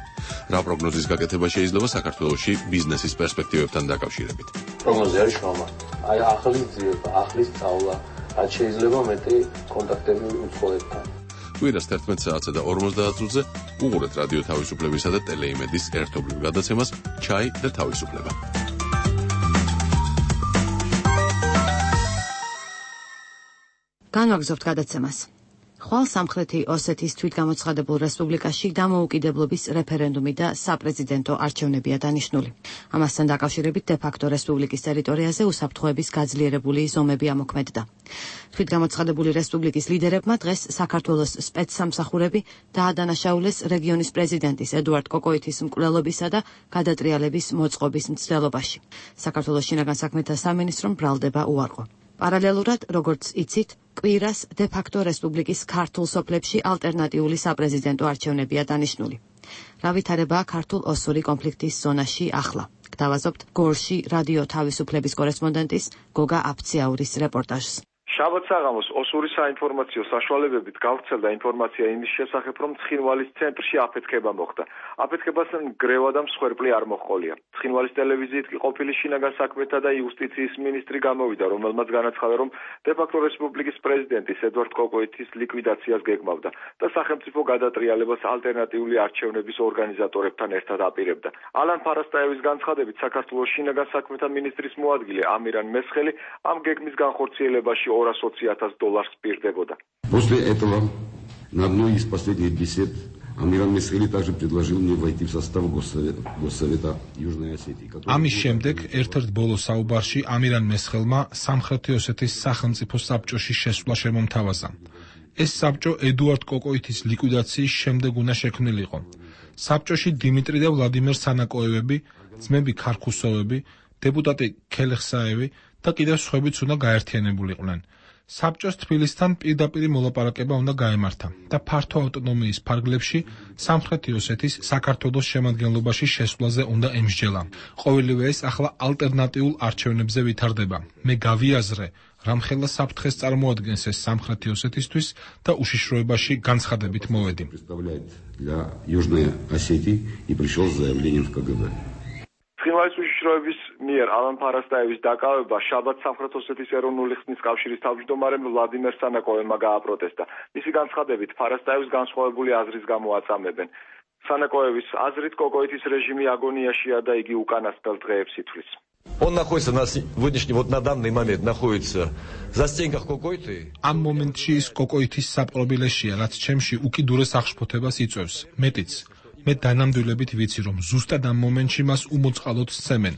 რა პროგნოზის გაკეთება შეიძლება საქართველოში ბიზნესის პერსპექტივებთან დაკავშირებით? პროგნოზი არის შრომა. აი ახალი ძიება, ახლის სწავლა, რაც შეიძლება მეტი კონტაქტები უცხოეთთან. კვირას 11 საათსა და 50 წუთზე უყურეთ რადიო თავისუფლებისა და ტელეიმედის ერთობლივ გადაცემას ჩაი და თავისუფლება. განვაგრძობთ გადაცემას. ხვალ სამხრეთი ოსეთის თვითგამოცხადებულ რესპუბლიკაში დამოუკიდებლობის რეფერენდუმი და საპრეზიდენტო არჩევნებია დანიშნული. ამასთან დაკავშირებით დე-ფაქტო რესპუბლიკის ტერიტორიაზე უსაფრთხოების გაძლიერებული ზომები ამოქმედდა. თვითგამოცხადებული რესპუბლიკის ლიდერებმა დღეს საქართველოს სპეცსამსახურები დაადანაშაულეს რეგიონის პრეზიდენტის ედუარდ კოკოითის მკვლელობისა და გადატრიალების მოწყობის მცდელობაში. საქართველოს შინაგან საქმეთა სამინისტრომ ბრალდება უარყო. პარალელურად, როგორც იცით, კვირას დე-ფაქტო რესპუბლიკის ქართულ სოფლებში ალტერნატიული საპრეზიდენტო არჩევნებია დანიშნული. რა ვითარებაა ქართულ ოსური კონფლიქტის ზონაში ახლა? გთავაზობთ გორში რადიო თავისუფლების კორესპონდენტის გოგა აფციაურის რეპორტაჟს. შაბათ საღამოს ოსური საინფორმაციო საშუალებებით გავრცელდა ინფორმაცია იმის შესახებ, რომ ცხინვალის ცენტრში აფეთქება მოხდა. აფეთქებასთან გრევა და მსხვერპლი არ მოჰყოლია. ცხინვალის ტელევიზიით კი ყოფილი შინაგან საქმეთა და იუსტიციის მინისტრი გამოვიდა, რომელმაც განაცხადა, რომ დე-ფაქტო რესპუბლიკის პრეზიდენტის ედუარდ კოკოითის ლიკვიდაციას გეგმავდა და სახელმწიფო გადატრიალებას ალტერნატიული არჩევნების ორგანიზატორებთან ერთად აპირებდა. ალან ფარასტაევის განცხადებით, საქართველოს შინაგან საქმეთა მინისტრის მოადგილე ამირან მესხელი ამ გეგმის განხორციელებაში $220,000 პირდებოდა. После этого на одной из последних бесед Амиран Месхели также предложил мне войти в состав Госсовета Южной Осетии. ამის შემდეგ ერთ-ერთ ბოლო საუბარში ამირან მესხელმა სამხრეთი ოსეთის სახელმწიფო საბჭოში შესვლა შემომთავაზა. ეს საბჭო ედუარდ კოკოითის ლიკვიდაციის შემდეგ უნდა შექმნილიყო. საბჭოში დიმიტრი და ვლადიმერ სანაკოევები, ძმები ქარქუსოვები, დეპუტატი ქელეხსაევი და კიდევ სხვაებიც უნდა გაერთიანებულიყვნენ. საბჭოს თბილისთან პირდაპირი მოლაპარაკება უნდა გაემართა და ფართო ავტონომიის ფარგლებში სამხრეთი ოსეთის საქართველოს შემადგენლობაში შესვლაზე უნდა ემსჯელა. ყოველივე ეს ახლა ალტერნატიულ არჩევნებზე ვითარდება. მე გავიაზრე, რამხელა საფრთხეს წარმოადგენს ეს სამხრეთი ოსეთისთვის და უშიშროებაში განცხადებით მოვედი. Для Южной Осетии и пришел с заявлением в КГБ. ცხინვალის უშიშროების მიერ ალან ფარასტაევის დაკავება შაბათ სამხრეთ ოსეთის ეროვნული ხსნის კავშირის თავმჯდომარემ ვლადიმერ სანაკოევმა გააპროტესტა. მისი განცხადებით, ფარასტაევის განსხვავებული აზრის გამო აწამებენ. სანაკოევის აზრით, კოკოითის რეჟიმი აგონიაშია და იგი უკანასკნელ დღეებს ითვლის. Он находится на сегодняшний на данный момент находится в застенках Кокоиты. ამ მომენტში ის კოკოითის საპყრობილეშია, რაც ჩემში უკიდურეს აღშფოთებას იწვევს. მეტიც მე დანამდვილებით ვიცი, რომ ზუსტად ამ მომენტში მას უმოწყალოდ სცემენ.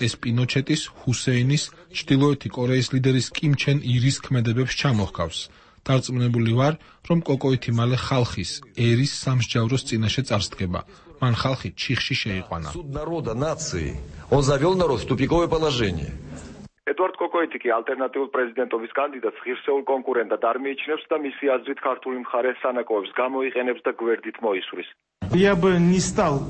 ეს პინოჩეტის, ჰუსეინის, ჩრდილოეთი კორეის ლიდერის კიმ ჩენ ირის ქმედებებს ჩამოჰკავს. დარწმუნებული ვარ, რომ კოკოითი მალე ხალხის, ერის სამსჯავროს წინაშე წარსდგება. მან ხალხი ჩიხში შეიყვანა. Суд народа, нации. Он завел народ в тупиковое положение. ედუარდ კოკოითი კი ალტერნატიულ პრეზიდენტობის კანდიდატს ღირსეულ კონკურენტად არ მიიჩნევს და მისი აზრით ქართული მხარე სანაკოევს გამოიყენებს და გვერდით მოისვრის. Я бы не стал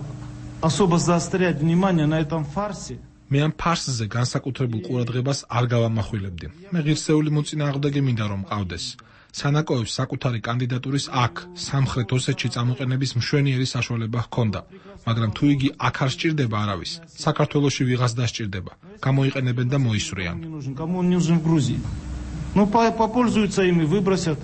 особо заострять внимание на этом фарсе. მე ამ ფარსზე განსაკუთრებულ ყურადღებას არ გავამახვილებდი. მე ღირსეული მოწინააღმდეგე მინდა რომ მყავდეს. სანაკოევს საკუთარი კანდიდატურის აქ, სამხრეთ ოსეთში წამოყენების მშვენიერი საშუალება ჰქონდა, მაგრამ თუ იგი აქ არ სჭირდება არავის, საქართველოში ვიღას დასჭირდება. გამოიყენებენ და მოისვრიან. Кому он нужен в Грузии? Ну, попользуются ими, выбросят.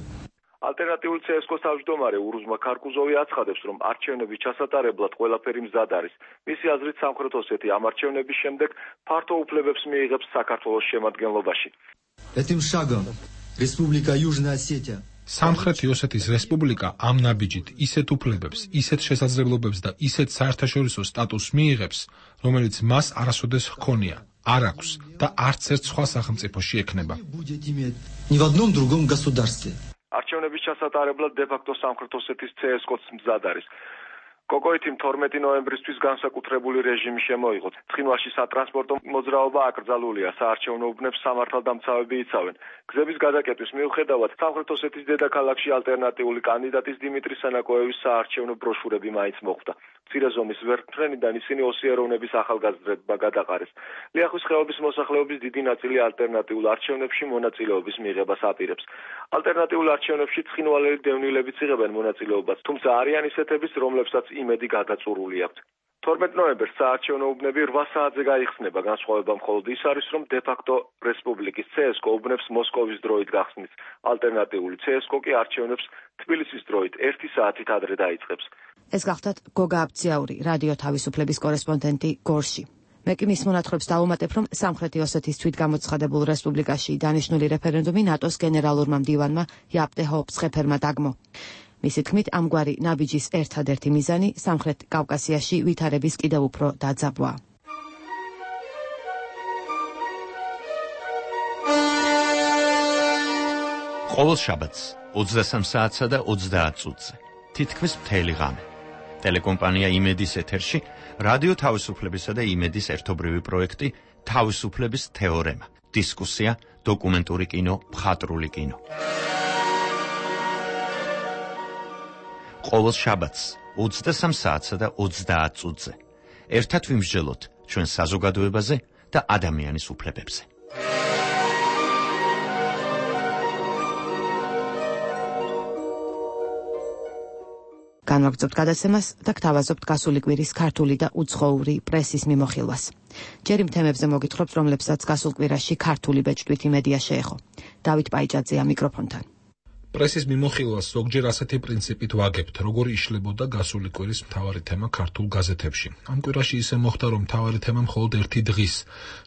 ალტერნატიული CSKO-ს თავმჯდომარე ურუზმა ქარკუზოვი აცხადებს, რომ არჩევნების ჩასატარებლად ყველაფერი მზად არის. მისი აზრით, სამხრეთ ოსეთი ამ არჩევნების შემდეგ ფართო უფლებებს მიიღებს საქართველოს შემადგენლობაში. Этим шагом Республика Южная Осетия სამხრეთი ოსეთის რესპუბლიკა ამ ნაბიჯით ისეთ უფლებებს, ისეთ შესაძლებლობებს და ისეთ საერთაშორისო სტატუსს მიიღებს, რომელიც მას არასოდეს ჰქონია, არ აქვს და არც ერთ სხვა სახელმწიფოში ექნება. ни в одном другом государстве. არჩევნების ჩასატარებლად დე-ფაქტო სამხრეთ ოსეთის CSKO-ს მზად არის. კოკოითიმ 12 ნოემბრისთვის განსაკუთრებული რეჟიმი შემოიღო. ცხინვალში სატრანსპორტო მოძრაობა აკრძალულია, საარჩევნო უბნებს სამართალდამცავები იცავენ. გზების გადაკეტვის მიუხედავად, სამხრეთ ოსეთის დედაქალაქში ალტერნატიული კანდიდატის დიმიტრი სანაკოევის საარჩევნო ბროშურები მაინც მოხვდა. მცირე ზომის ვერტმფრენიდან ისინი ოსიეროვნების ახალგაზრდობა გადაყარეს. ლიახვის ხეობის მოსახლეობის დიდი ნაწილი ალტერნატიულ არჩევნებში მონაწილეობის მიღებას აპირებს. ალტერნატიულ არჩევნებში ცხინვალელი დევნილებიც იღებენ მონაწილეობას, თუმცა არიან ისეთებიც, რომლებსაც იმედი გადაწურული აქვთ. 12 ნოემბერს საარჩევნო უბნები 8 საათზე გაიხსნება, განსხვავება მხოლოდ ის არის, რომ დე-ფაქტო რესპუბლიკის CSKO უბნებს მოსკოვის დროით გახსნის. ალტერნატიული CSKO კი არჩევნებს თბილისის დროით 1 საათით ადრე დაიწყებს. ეს გახდათ გოგა აბციაური, რადიო თავისუფლების კორესპონდენტი გორში. მე კი მის მონათხრობს დავუმატებ, რომ სამხრეთი ოსეთის თვითგამოცხადებულ რესპუბლიკაში დანიშნული რეფერენდუმი ნატოს გენერალურმა მდივანმა იაპტე ჰოპსხეფერმა დაგმო. მისი თქმით, ამგვარი ნაბიჯის ერთადერთი მიზანი სამხრეთ კავკასიაში ვითარების კიდევ უფრო დაძაბვა. ყოველ შაბათს 23 საათსა და 30 წუთზე თითქმის მთელი ღამე ტელეკომპანია იმედის ეთერში რადიო თავისუფლებისა და იმედის ერთობრივი პროექტი თავისუფლების თეორემა, დისკუსია, დოკუმენტური კინო, მხატვრული კინო. ყოველ შაბათს 23 საათსა და 30 წუთზე ერთად ვიმსჯელოთ ჩვენ საზოგადოებაზე და ადამიანის უფლებებზე. განვაგრძობთ გადაცემას და გთავაზობთ გასული კვირის ქართული და უცხოური პრესის მიმოხილვას. ჯერ იმ თემებზე მოგითხრობთ, რომლებსაც გასულ კვირაში ქართული ბეჭდვითი მედია შეეხო. დავით პაიჭაძეა მიკროფონთან. პრესის მიმოხილვას ზოგჯერ ასეთი პრინციპით ვაგებთ, როგორ იშლებოდა გასული კვირის მთავარი თემა ქართულ გაზეთებში. ამ კვირაში ისე მოხდა, რომ მთავარი თემა მხოლოდ ერთი დღის,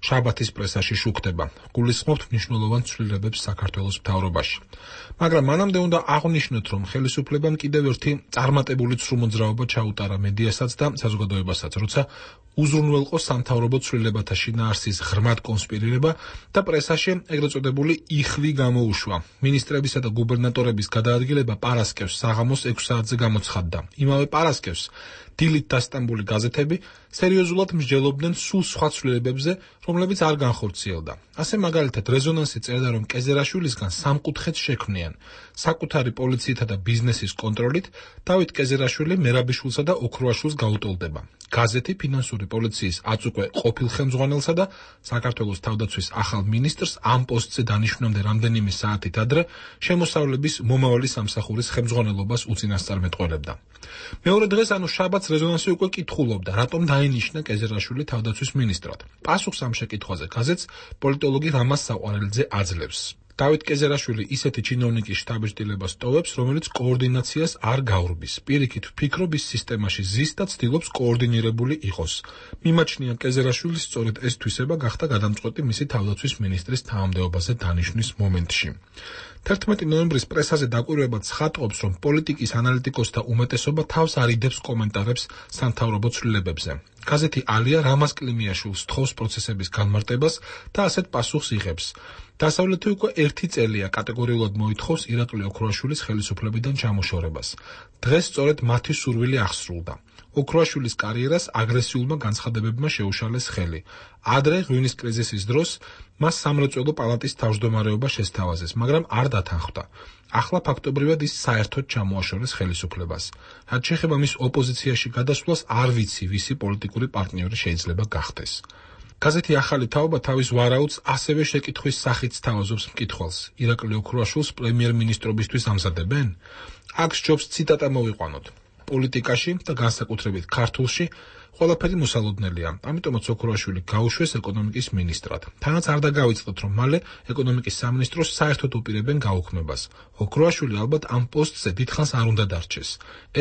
შაბათის პრესაში შუქდება. გულისხმობთ მნიშვნელოვან ცვლილებებს საქართველოს მთავრობაში. მაგრამ მანამდე უნდა აღვნიშნოთ, რომ ხელისუფლებამ კიდევ ერთი წარმატებული ცრუმოძრაობა ჩაუტარა მედიასაც და საზოგადოებასაც, როცა უზრუნველყო სამთავრობო ცვლილებათა შინაარსის ღრმად კონსპირირება და პრესაში ეგრეთ წოდებული იხვი გამოუშვა. მინისტრებისა და გუბერნატორების გადაადგილება პარასკევს საღამოს 6 საათზე გამოცხადდა. იმავე პარასკევს დილით დასტამბული გაზეთები სერიოზულად მსჯელობდნენ სულ სხვა ცვლილებებზე, რომლებიც არ განხორციელდა. ასე მაგალითად რეზონანსი წერდა, რომ კეზერაშვილისგან სამკუთხედს შექმნიან საკუთარი პოლიციითა და ბიზნესის კონტროლით დავით კეზერაშვილი მერაბიშვილსა და ოქროაშვილს გაუტოლდება. გაზეთი ფინანსური პოლიციის აწუკვე ყოფილ ხელმძღვანელსა და საქართველოს თავდაცვის ახალ მინისტრს ამ პოსტზე დანიშნვამდე რამდენიმე საათით ადრე შემოსავლების მომავალი სამსახურის ხელმძღვანელობას უწინასწარმეტყველებდა. მეორე დღეს, ანუ შაბათს, რეზონანსი უკვე კითხულობდა, რატომ დაინიშნა კეზერაშვილი თავდაცვის მინისტრად. პასუხს ამ შეკითხვაზე გაზეთს პოლიტოლოგი რამაზ საყვარელძე აძლევს. დავით კეზერაშვილი ისეთი ჩინოვნიკის შტაბ-ჭდილებას ტოვებს, რომელიც კოორდინაციას არ გაურბის. პირიქით ვფიქრობ, ის სისტემაში ზის და ცდილობს კოორდინირებული იყოს. მიმაჩნია კეზერაშვილის სწორედ ეს თვისება გახდა გადამწყვეტი მისი თავდაცვის მინისტრის თანამდებობაზე დანიშვნის მომენტში. 11 ნოემბრის პრესაზე დაკვირვება ცხადყოფს, რომ პოლიტიკის ანალიტიკოსთა უმეტესობა თავს არიდებს კომენტარებს სამთავრობო ცვლილებებზე. გაზეთი ალია რამაზ კლიმიაშვილს თხოვს პროცესების განმარტებას და ასეთ პასუხს იღებს. დასავლეთი უკვე 1 წელია კატეგორიულად მოითხოვს ირაკლი ოქროაშვილის ხელისუფლებიდან ჩამოშორებას. დღეს სწორედ მათი სურვილი აღსრულდა. ოქროაშვილის კარიერას აგრესიულმა განცხადებებმა შეუშალეს ხელი. ადრე ღვინის კრიზისის დროს მას სამრეწველო პალატის თავმჯდომარეობა შესთავაზეს, მაგრამ არ დათანხმდა. ახლა ფაქტობრივად ის საერთოდ ჩამოაშორეს ხელისუფლებას. რაც შეეხება მის ოპოზიციაში გადასვლას, არ ვიცი, ვისი პოლიტიკური პარტნიორი შეიძლება გახდეს. გაზეთი ახალი თაობა თავის ვარაუდს ასევე შეკითხვის სახით სთავაზობს მკითხველს. ირაკლი ოქროაშვილს პრემიერ-მინისტრობისთვის ამზადებენ? აქ სჯობს ციტატა მოვიყვანოთ. პოლიტიკაში და განსაკუთრებით ქართულში ყველაფერი მოსალოდნელია. ამიტომაც ოქროაშვილი გაუშვეს ეკონომიკის მინისტრად. თანაც არ დაგავიწყდეთ, რომ მალე ეკონომიკის სამინისტროს საერთოდ უპირებენ გაუქმებას. ოქროაშვილი ალბათ ამ პოსტზე დიდხანს არ უნდა დარჩეს.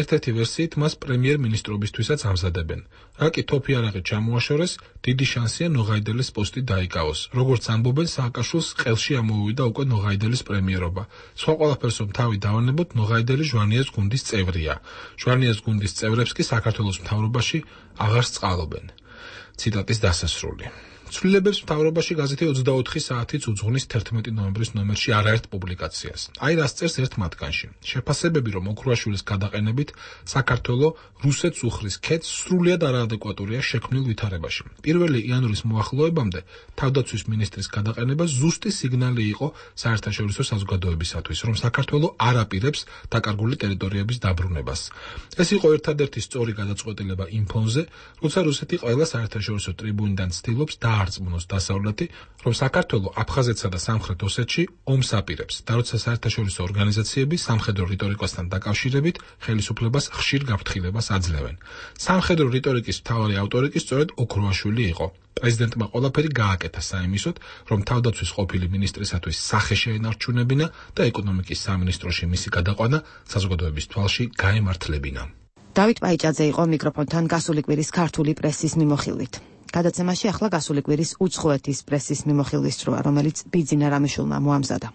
ერთ-ერთი ვერსიით მას პრემიერ-მინისტრობისთვისაც ამზადებენ. რა კი თოფი არაღი ჩამოაშორეს, დიდი შანსია ნოღაიდელის პოსტი დაიკავოს. როგორც ამბობენ, სააკაშვილს ყელში ამოუვიდა უკვე ნოღაიდელის პრემიერობა. სხვა ყველაფერს რომ თავი დავანებოთ, ნოღაიდელი ჟვანიას გუნდის წევრია. ჟვანიას გუნდის წევრებს კი საქართველოს მთავრობაში აღარ სწყალობენ. ციტატის დასასრული. ცვლილებებს მთავრობაში გაზეთი 24 საათიც უძღვნის 11 ნოემბრის ნომერში არაერთ პუბლიკაციას. აი რას წერს ერთ მათგანში. შეფასებები, რომ ოქროაშვილის გადაყენებით საქართველოს რუსეთს უხრის ქედს სრულიად არაადეკვატურია შექმნილ ვითარებაში. 1 იანვრის მოახლოებამდე თავდაცვის მინისტრის გადაყენება ზუსტი სიგნალი იყო საერთაშორისო საზოგადოებისათვის, რომ საქართველოს არ აპირებს დაკარგული ტერიტორიების დაბრუნებას. ეს იყო ერთადერთი სწორი გადაწყვეტილება იმ ფონზე, როცა რუსეთი ყველა საერთაშორისო ტრიბუნიდან ცდილობს დაარწმუნოს დასავლეთი, რომ საქართველოს აფხაზეთსა და სამხრეთ ოსეთში ომს აპირებს და როცა საერთაშორისო ორგანიზაციები სამხედრო რიტორიკასთან დაკავშირებით ხელისუფლებას ხშირ გაფრთხილებას აძლევენ. სამხედრო რიტორიკის მთავარი ავტორი კი სწორედ ოქროაშვილი იყო. პრეზიდენტმა ყველაფერი გააკეთა საიმისოდ, რომ თავდაცვის ყოფილი მინისტრისათვის სახე შეენარჩუნებინა და ეკონომიკის სამინისტროში მისი გადაყვანა საზოგადოების თვალში გაემართლებინა. დავით პაიჭაძე იყო მიკროფონთან გასული კვირის ქართული პრესის მიმოხილვით. გადაცემაში ახლა გასული კვირის უცხოეთის პრესის მიმოხილვის სროლა, რომელიც ბიძინა რამიშულმა მოამზადა.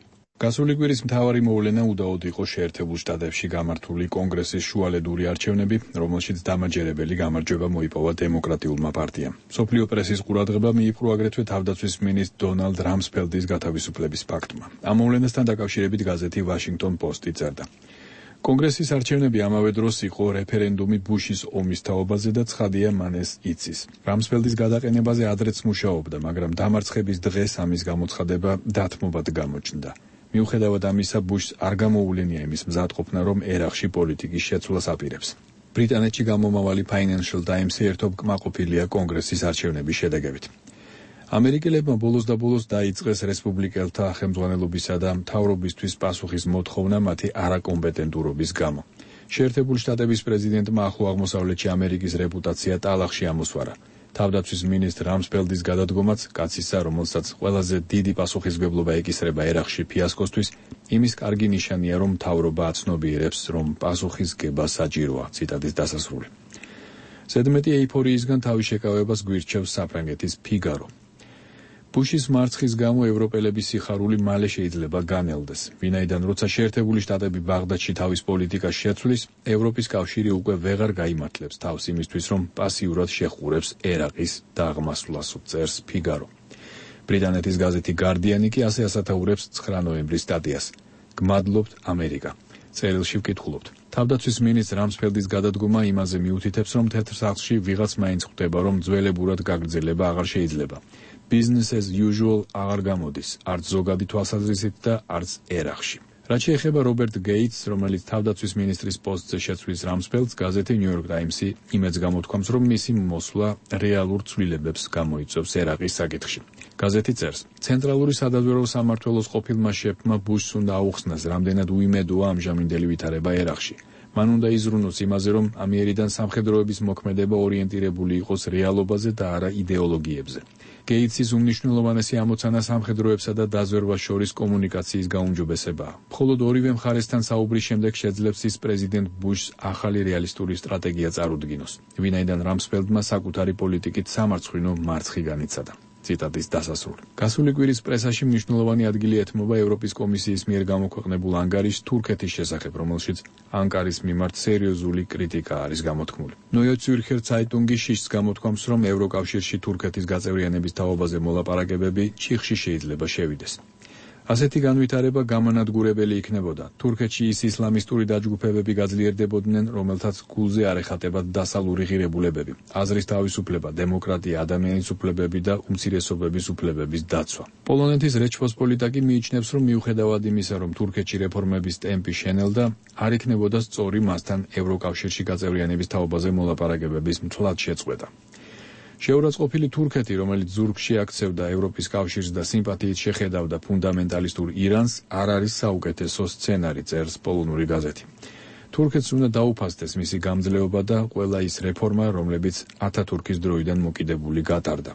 გასული კვირის მთავარი მოვლენა უდაოდ იყო შეერთებულ შტატებში გამართული კონგრესის შუალედური არჩევნები, რომელშიც დამაჯერებელი გამარჯვება მოიპოვა დემოკრატიულმა პარტიამ. მსოფლიო პრესის ყურადღება მიიპყრო აგრეთვე თავდაცვის მინისტრ დონალდ რამსფელდის გათავისუფლების ფაქტმა. ამ მოვლენასთან დაკავშირებით გაზეთი ვაშინგტონ პოსტი წერდა. კონგრესის არჩევნები ამავე დროს იყო რეფერენდუმი ბუშის ომის თაობაზე და ცხადია მან ეს იცის. რამსფელდის გადაყენებაზე ადრეც მუშაობდა, მაგრამ დამარცხების დღეს ამის გამოცხადება დათმობად გამოჩნდა. მიუხედავად ამისა, ბუშს არ გამოუვლენია იმის მზადყოფნა, რომ ერაყში პოლიტიკის შეცვლას აპირებს. ბრიტანეთში გამომავალი Financial Times-ი ერთობ კმაყოფილია კონგრესის არჩევნების შედეგებით. ამერიკელებმა ბოლოს და ბოლოს დაიწყეს რესპუბლიკელთა ხელმძღვანელობისა და მთავრობისთვის პასუხის მოთხოვნა მათი არაკომპეტენტურობის გამო. შეერთებული შტატების პრეზიდენტმა ახლო აღმოსავლეთში ამერიკის რეპუტაცია ტალახში ამოსვარა. თავდაცვის მინისტრ რამსფელდის გადადგომაც კაცისა, რომელსაც ყველაზე დიდი პასუხისმგებლობა ეკისრება ერაყში ფიასკოსთვის, იმის კარგი ნიშანია, რომ მთავრობა აცნობიერებს, რომ პასუხისგება საჭიროა. ციტატის დასასრული. ზედმეტი ეიფორიისგან თავის შეკავებას გვირჩევს საფრანგეთის ფიგარო. ბუშის მარცხის გამო ევროპელების სიხარული მალე შეიძლება განელდეს. ვინაიდან როცა შეერთებული შტატები ბაღდადში თავის პოლიტიკას შეცვლის, ევროპის კავშირი უკვე ვეღარ გაიმართლებს თავს იმისთვის, რომ პასიურად შეხურებს ერაყის დაღმასვლას, წერს ფიგარო. ბრიტანეთის გაზეთი გარდიანი კი ასე ასათაურებს 9 ნოემბრის სტატიას. გმადლობთ ამერიკა. წერილში ვკითხულობთ. თავდაცვის მინისტრ რამსფელდის გადადგომა იმაზე მიუთითებს, რომ თეთრ სახლში ვიღაც მაინც ხვდება, რომ ძველებურად გაგრძელება აღარ შეიძლება. Business as usual აღარ გამოდის, არც ზოგადი თვალსაზრისით და არც ერაყში. რაც შეეხება რობერტ გეიტს, რომელიც თავდაცვის მინისტრის პოსტზე შეცვლის რამსფელდს, გაზეთი New York Times-ი იმედს გამოთქვამს, რომ მისი მოსვლა რეალურ ცვლილებებს გამოიწვევს ერაყის საკითხში. გაზეთი წერს: ცენტრალური სადაზვერვო სამმართველოს ყოფილმა შეფმა ბუშს უნდა აუხსნას, რამდენად უიმედოა ამჟამინდელი ვითარება ერაყში. მან უნდა იზრუნოს იმაზე, რომ ამიერიდან სამხედროების მოქმედება ორიენტირებული იყოს რეალობაზე და არა იდეოლოგიებზე. გეიტსის უმნიშვნელოვანესი ამოცანა სამხედროებსა და დაზვერვას შორის კომუნიკაციის გაუმჯობესებაა. მხოლოდ ორივე მხარესთან საუბრის შემდეგ შეძლებს ის პრეზიდენტ ბუშს ახალი რეალისტური სტრატეგია წარუდგინოს, ვინაიდან რამსფელდმა საკუთარი პოლიტიკით სამარცხვინო მარცხი განიცადა. ციტატის დასასრული. გასული კვირის პრესაში მნიშვნელოვანი ადგილი ეთმობა ევროპის კომისიის მიერ გამოქვეყნებულ ანგარიშს თურქეთის შესახებ, რომელშიც ანკარის მიმართ სერიოზული კრიტიკა არის გამოთქმული. Neue Zürcher Zeitung-ი შიშს გამოთქვამს, რომ ევროკავშირში თურქეთის გაწევრიანების თაობაზე მოლაპარაკებები ჩიხში შეიძლება შევიდეს. ასეთი განვითარება გამანადგურებელი იქნებოდა. თურქეთში ის ისლამისტური დაჯგუფებები გაძლიერდებოდნენ, რომელთაც გულზე არ ეხატებათ დასალური ღირებულებები, აზრის თავისუფლება, დემოკრატია, ადამიანის უფლებები და უმცირესობების უფლებების დაცვა. პოლონეთის რეჩპოსპოლიტა კი მიიჩნევს, რომ მიუხედავად იმისა, რომ თურქეთში რეფორმების ტემპი შენელდა, არ იქნებოდა სწორი მასთან ევროკავშირში გაწევრიანების თაობაზე მოლაპარაკებების მთლად შეწყვეტა. შეურაცხყოფილი თურქეთი, რომელიც ზურგში აქცევდა ევროპის კავშირს და სიმპათიით შეხედავდა ფუნდამენტალისტურ ირანს, არ არის საუკეთესო სცენარი, წერს პოლონური გაზეთი. თურქეთს უნდა დაუფასდეს მისი გამძლეობა და ყველა ის რეფორმა, რომლებიც ათათურქის დროიდან მოკიდებული გატარდა.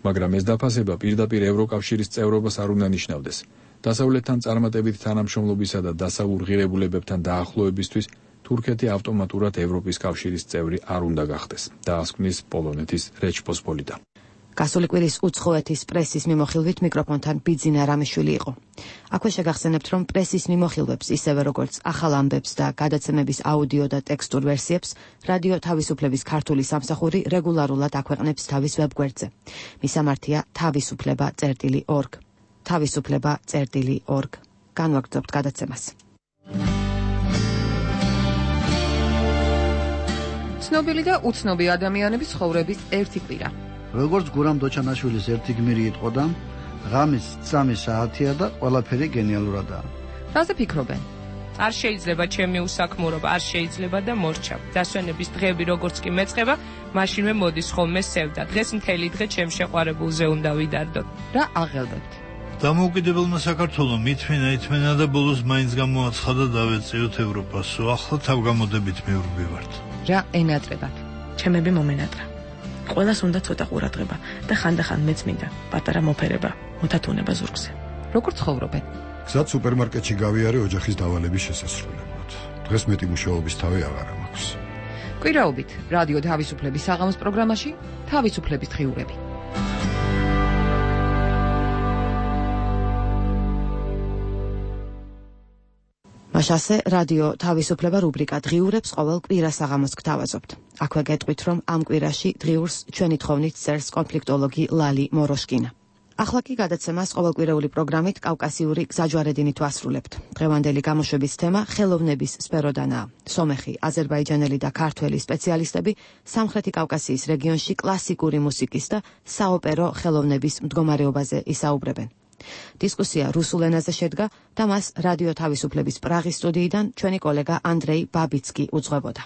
მაგრამ ეს დაფასება პირდაპირ ევროკავშირის წევრობას არ უნდა ნიშნავდეს. დასავლეთთან წარმატებით თანამშრომლობისა და დასავლურ ღირებულებებთან დაახლოებისთვის თურქეთი ავტომატურად ევროპის კავშირის წევრი არ უნდა გახდეს, დაასკვნის პოლონეთის რეჩპოსპოლიტა. გასული კვირის უცხოეთის პრესის მიმოხილვით მიკროფონთან ბიძინა რამიშვილი იყო. აქვე შეგახსენებთ, რომ პრესის მიმოხილვებს, ისევე როგორც ახალ ამბებს და გადაცემების აუდიო და ტექსტურ ვერსიებს, რადიო თავისუფლების ქართული სამსახური რეგულარულად აქვეყნებს თავის ვებგვერდზე. მისამართია თავისუფლება.org. თავისუფლება.org. განვაგრძობთ გადაცემას. ცნობილი და უცნობი ადამიანების ცხოვრების ერთი კვირა. როგორც გურამ დოჩანაშვილის ერთი გმირი იტყოდა, ღამის 3 საათია და ყველაფერი გენიალურადაა. რაზე ფიქრობენ? არ შეიძლება ჩემი უსაქმურობა, არ შეიძლება და მორჩა. დასვენების დღეები როგორც კი მეწყება, მაშინვე მოდის ხოლმე სევდა. დღეს მთელი დღე ჩემ შეყვარებულზე უნდა ვიდარდოთ. რა აღელვებთ? დამოუკიდებელმა საქართველომ ითმენა და ბოლოს მაინც გამოაცხადა დავეწიოთ ევროპასო. ახლა თავგამოდებით მივრბივართ. რა ენატრებათ? ჩემები მომენატრა. ყველას უნდა ცოტა ყურადღება და ხანდახან მეც მინდა პატარა მოფერება, მოთათუნება ზურგზე. როგორ ცხოვრობენ? გზად სუპერმარკეტში გავიარე ოჯახის დავალების შესასრულებლად. დღეს მეტი მუშაობის თავი აღარ მაქვს. კვირაობით რადიო თავისუფლების საღამოს პროგრამაში თავისუფლების დღიურები. მაშასე რადიო თავისუფლება რუბრიკა დღიურებს ყოველ კვირას საღამოს გთავაზობთ. აქვე გეტყვით, რომ ამ კვირაში დღიურს ჩვენი თხოვნით წერს კონფლიქტოლოგი ლალი მოროშკინა. ახლა კი გადაცემას ყოველკვირეული პროგრამით კავკასიური გზაჯვარედინით ვასრულებთ. დღევანდელი გამოშვების თემა ხელოვნების სფეროდანაა. სომეხი, აზერბაიჯანელი და ქართველი სპეციალისტები სამხრეთი კავკასიის რეგიონში კლასიკური მუსიკის და საოპერო ხელოვნების მდგომარეობაზე ისაუბრებენ. დისკუსია რუსულ ენაზე შედგა და მას რადიო თავისუფლების პრაღის სტუდიიდან ჩვენი კოლეგა ანდრეი ბაბიცკი უძღვებოდა.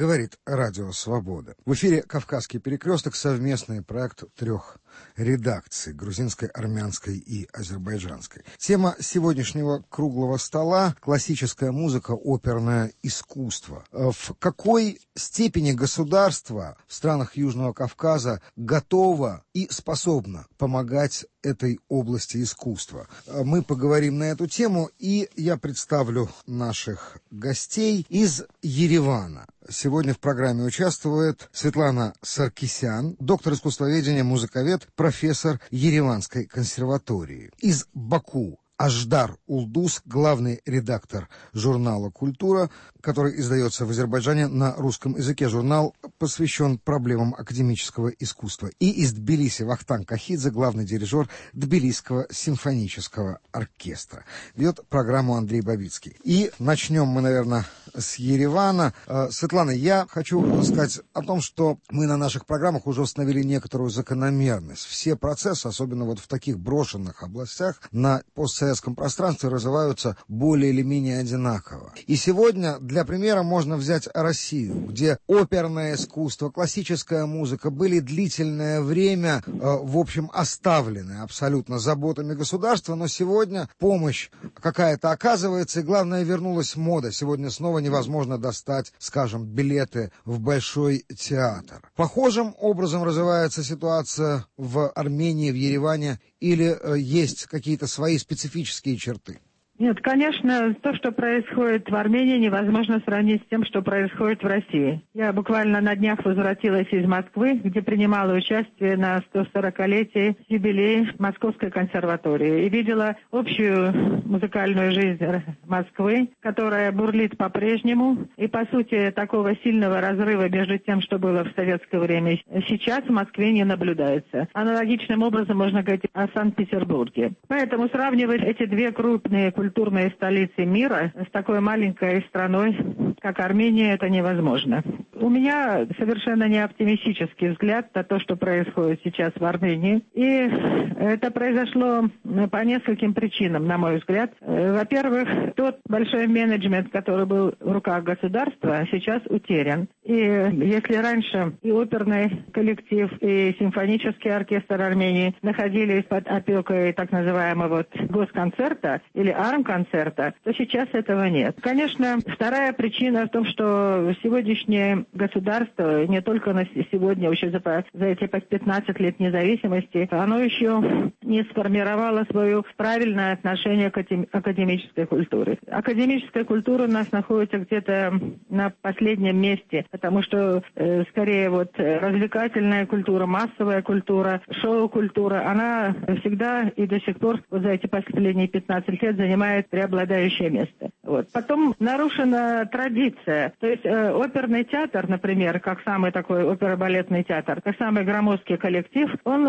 Говорит Радио Свобода. В эфире «Кавказский перекресток», совместный проект 3 редакций – грузинской, армянской и азербайджанской. Тема сегодняшнего круглого стола – классическая музыка, оперное искусство. В какой степени государство в странах Южного Кавказа готово и способно помогать этой области искусства? Мы поговорим на эту тему, и я представлю наших гостей из Еревана. Сегодня в программе участвует Светлана Саркисян, доктор искусствоведения, музыковед, профессор Ереванской консерватории. Из Баку Аждар Улдус, главный редактор журнала «Культура», который издается в Азербайджане на русском языке. Журнал посвящен проблемам академического искусства. И из Тбилиси Вахтанг Кахидзе, главный дирижер Тбилисского симфонического оркестра. Ведет программу Андрей Бабицкий. И начнем мы, наверное, с Еревана. Светлана, я хочу сказать о том, что мы на наших программах уже установили некоторую закономерность. Все процессы, особенно вот в таких брошенных областях, на постсоветском пространстве развиваются более или менее одинаково. И сегодня для примера можно взять Россию, где оперное искусство, классическая музыка были длительное время, в общем, оставлены абсолютно заботами государства, но сегодня помощь какая-то оказывается, и главное, вернулась мода. Сегодня снова невозможно достать, скажем, билеты в Большой театр. Похожим образом развивается ситуация в Армении, в Ереване, или есть какие-то свои специфические черты? Нет, конечно, то, что происходит в Армении, невозможно сравнить с тем, что происходит в России. Я буквально на днях возвратилась из Москвы, где принимала участие на 140-летии юбилея Московской консерватории. И видела общую музыкальную жизнь Москвы, которая бурлит по-прежнему. И, по сути, такого сильного разрыва между тем, что было в советское время, сейчас в Москве не наблюдается. Аналогичным образом можно говорить о Санкт-Петербурге. Поэтому сравнивать эти две крупные культурные столицы мира с такой маленькой страной, как Армения, это невозможно. У меня совершенно не оптимистический взгляд на то, что происходит сейчас в Армении. И это произошло по нескольким причинам, на мой взгляд. Во-первых, тот большой менеджмент, который был в руках государства, сейчас утерян. И если раньше и оперный коллектив, и симфонический оркестр Армении находились под опекой так называемого госконцерта или армконцерта, то сейчас этого нет. Конечно, вторая причина в том, что сегодняшнее государство, не только на сегодня, еще за эти 15 лет независимости, оно еще не сформировало свое правильное отношение к академической культуре. Академическая культура у нас находится где-то на последнем месте, потому что скорее вот развлекательная культура, массовая культура, шоу-культура, она всегда и до сих пор вот за эти последние 15 лет занимает преобладающее место. Вот. Потом нарушена традиция. То есть оперный театр, например, как самый такой оперо-балетный театр, как самый громоздкий коллектив, он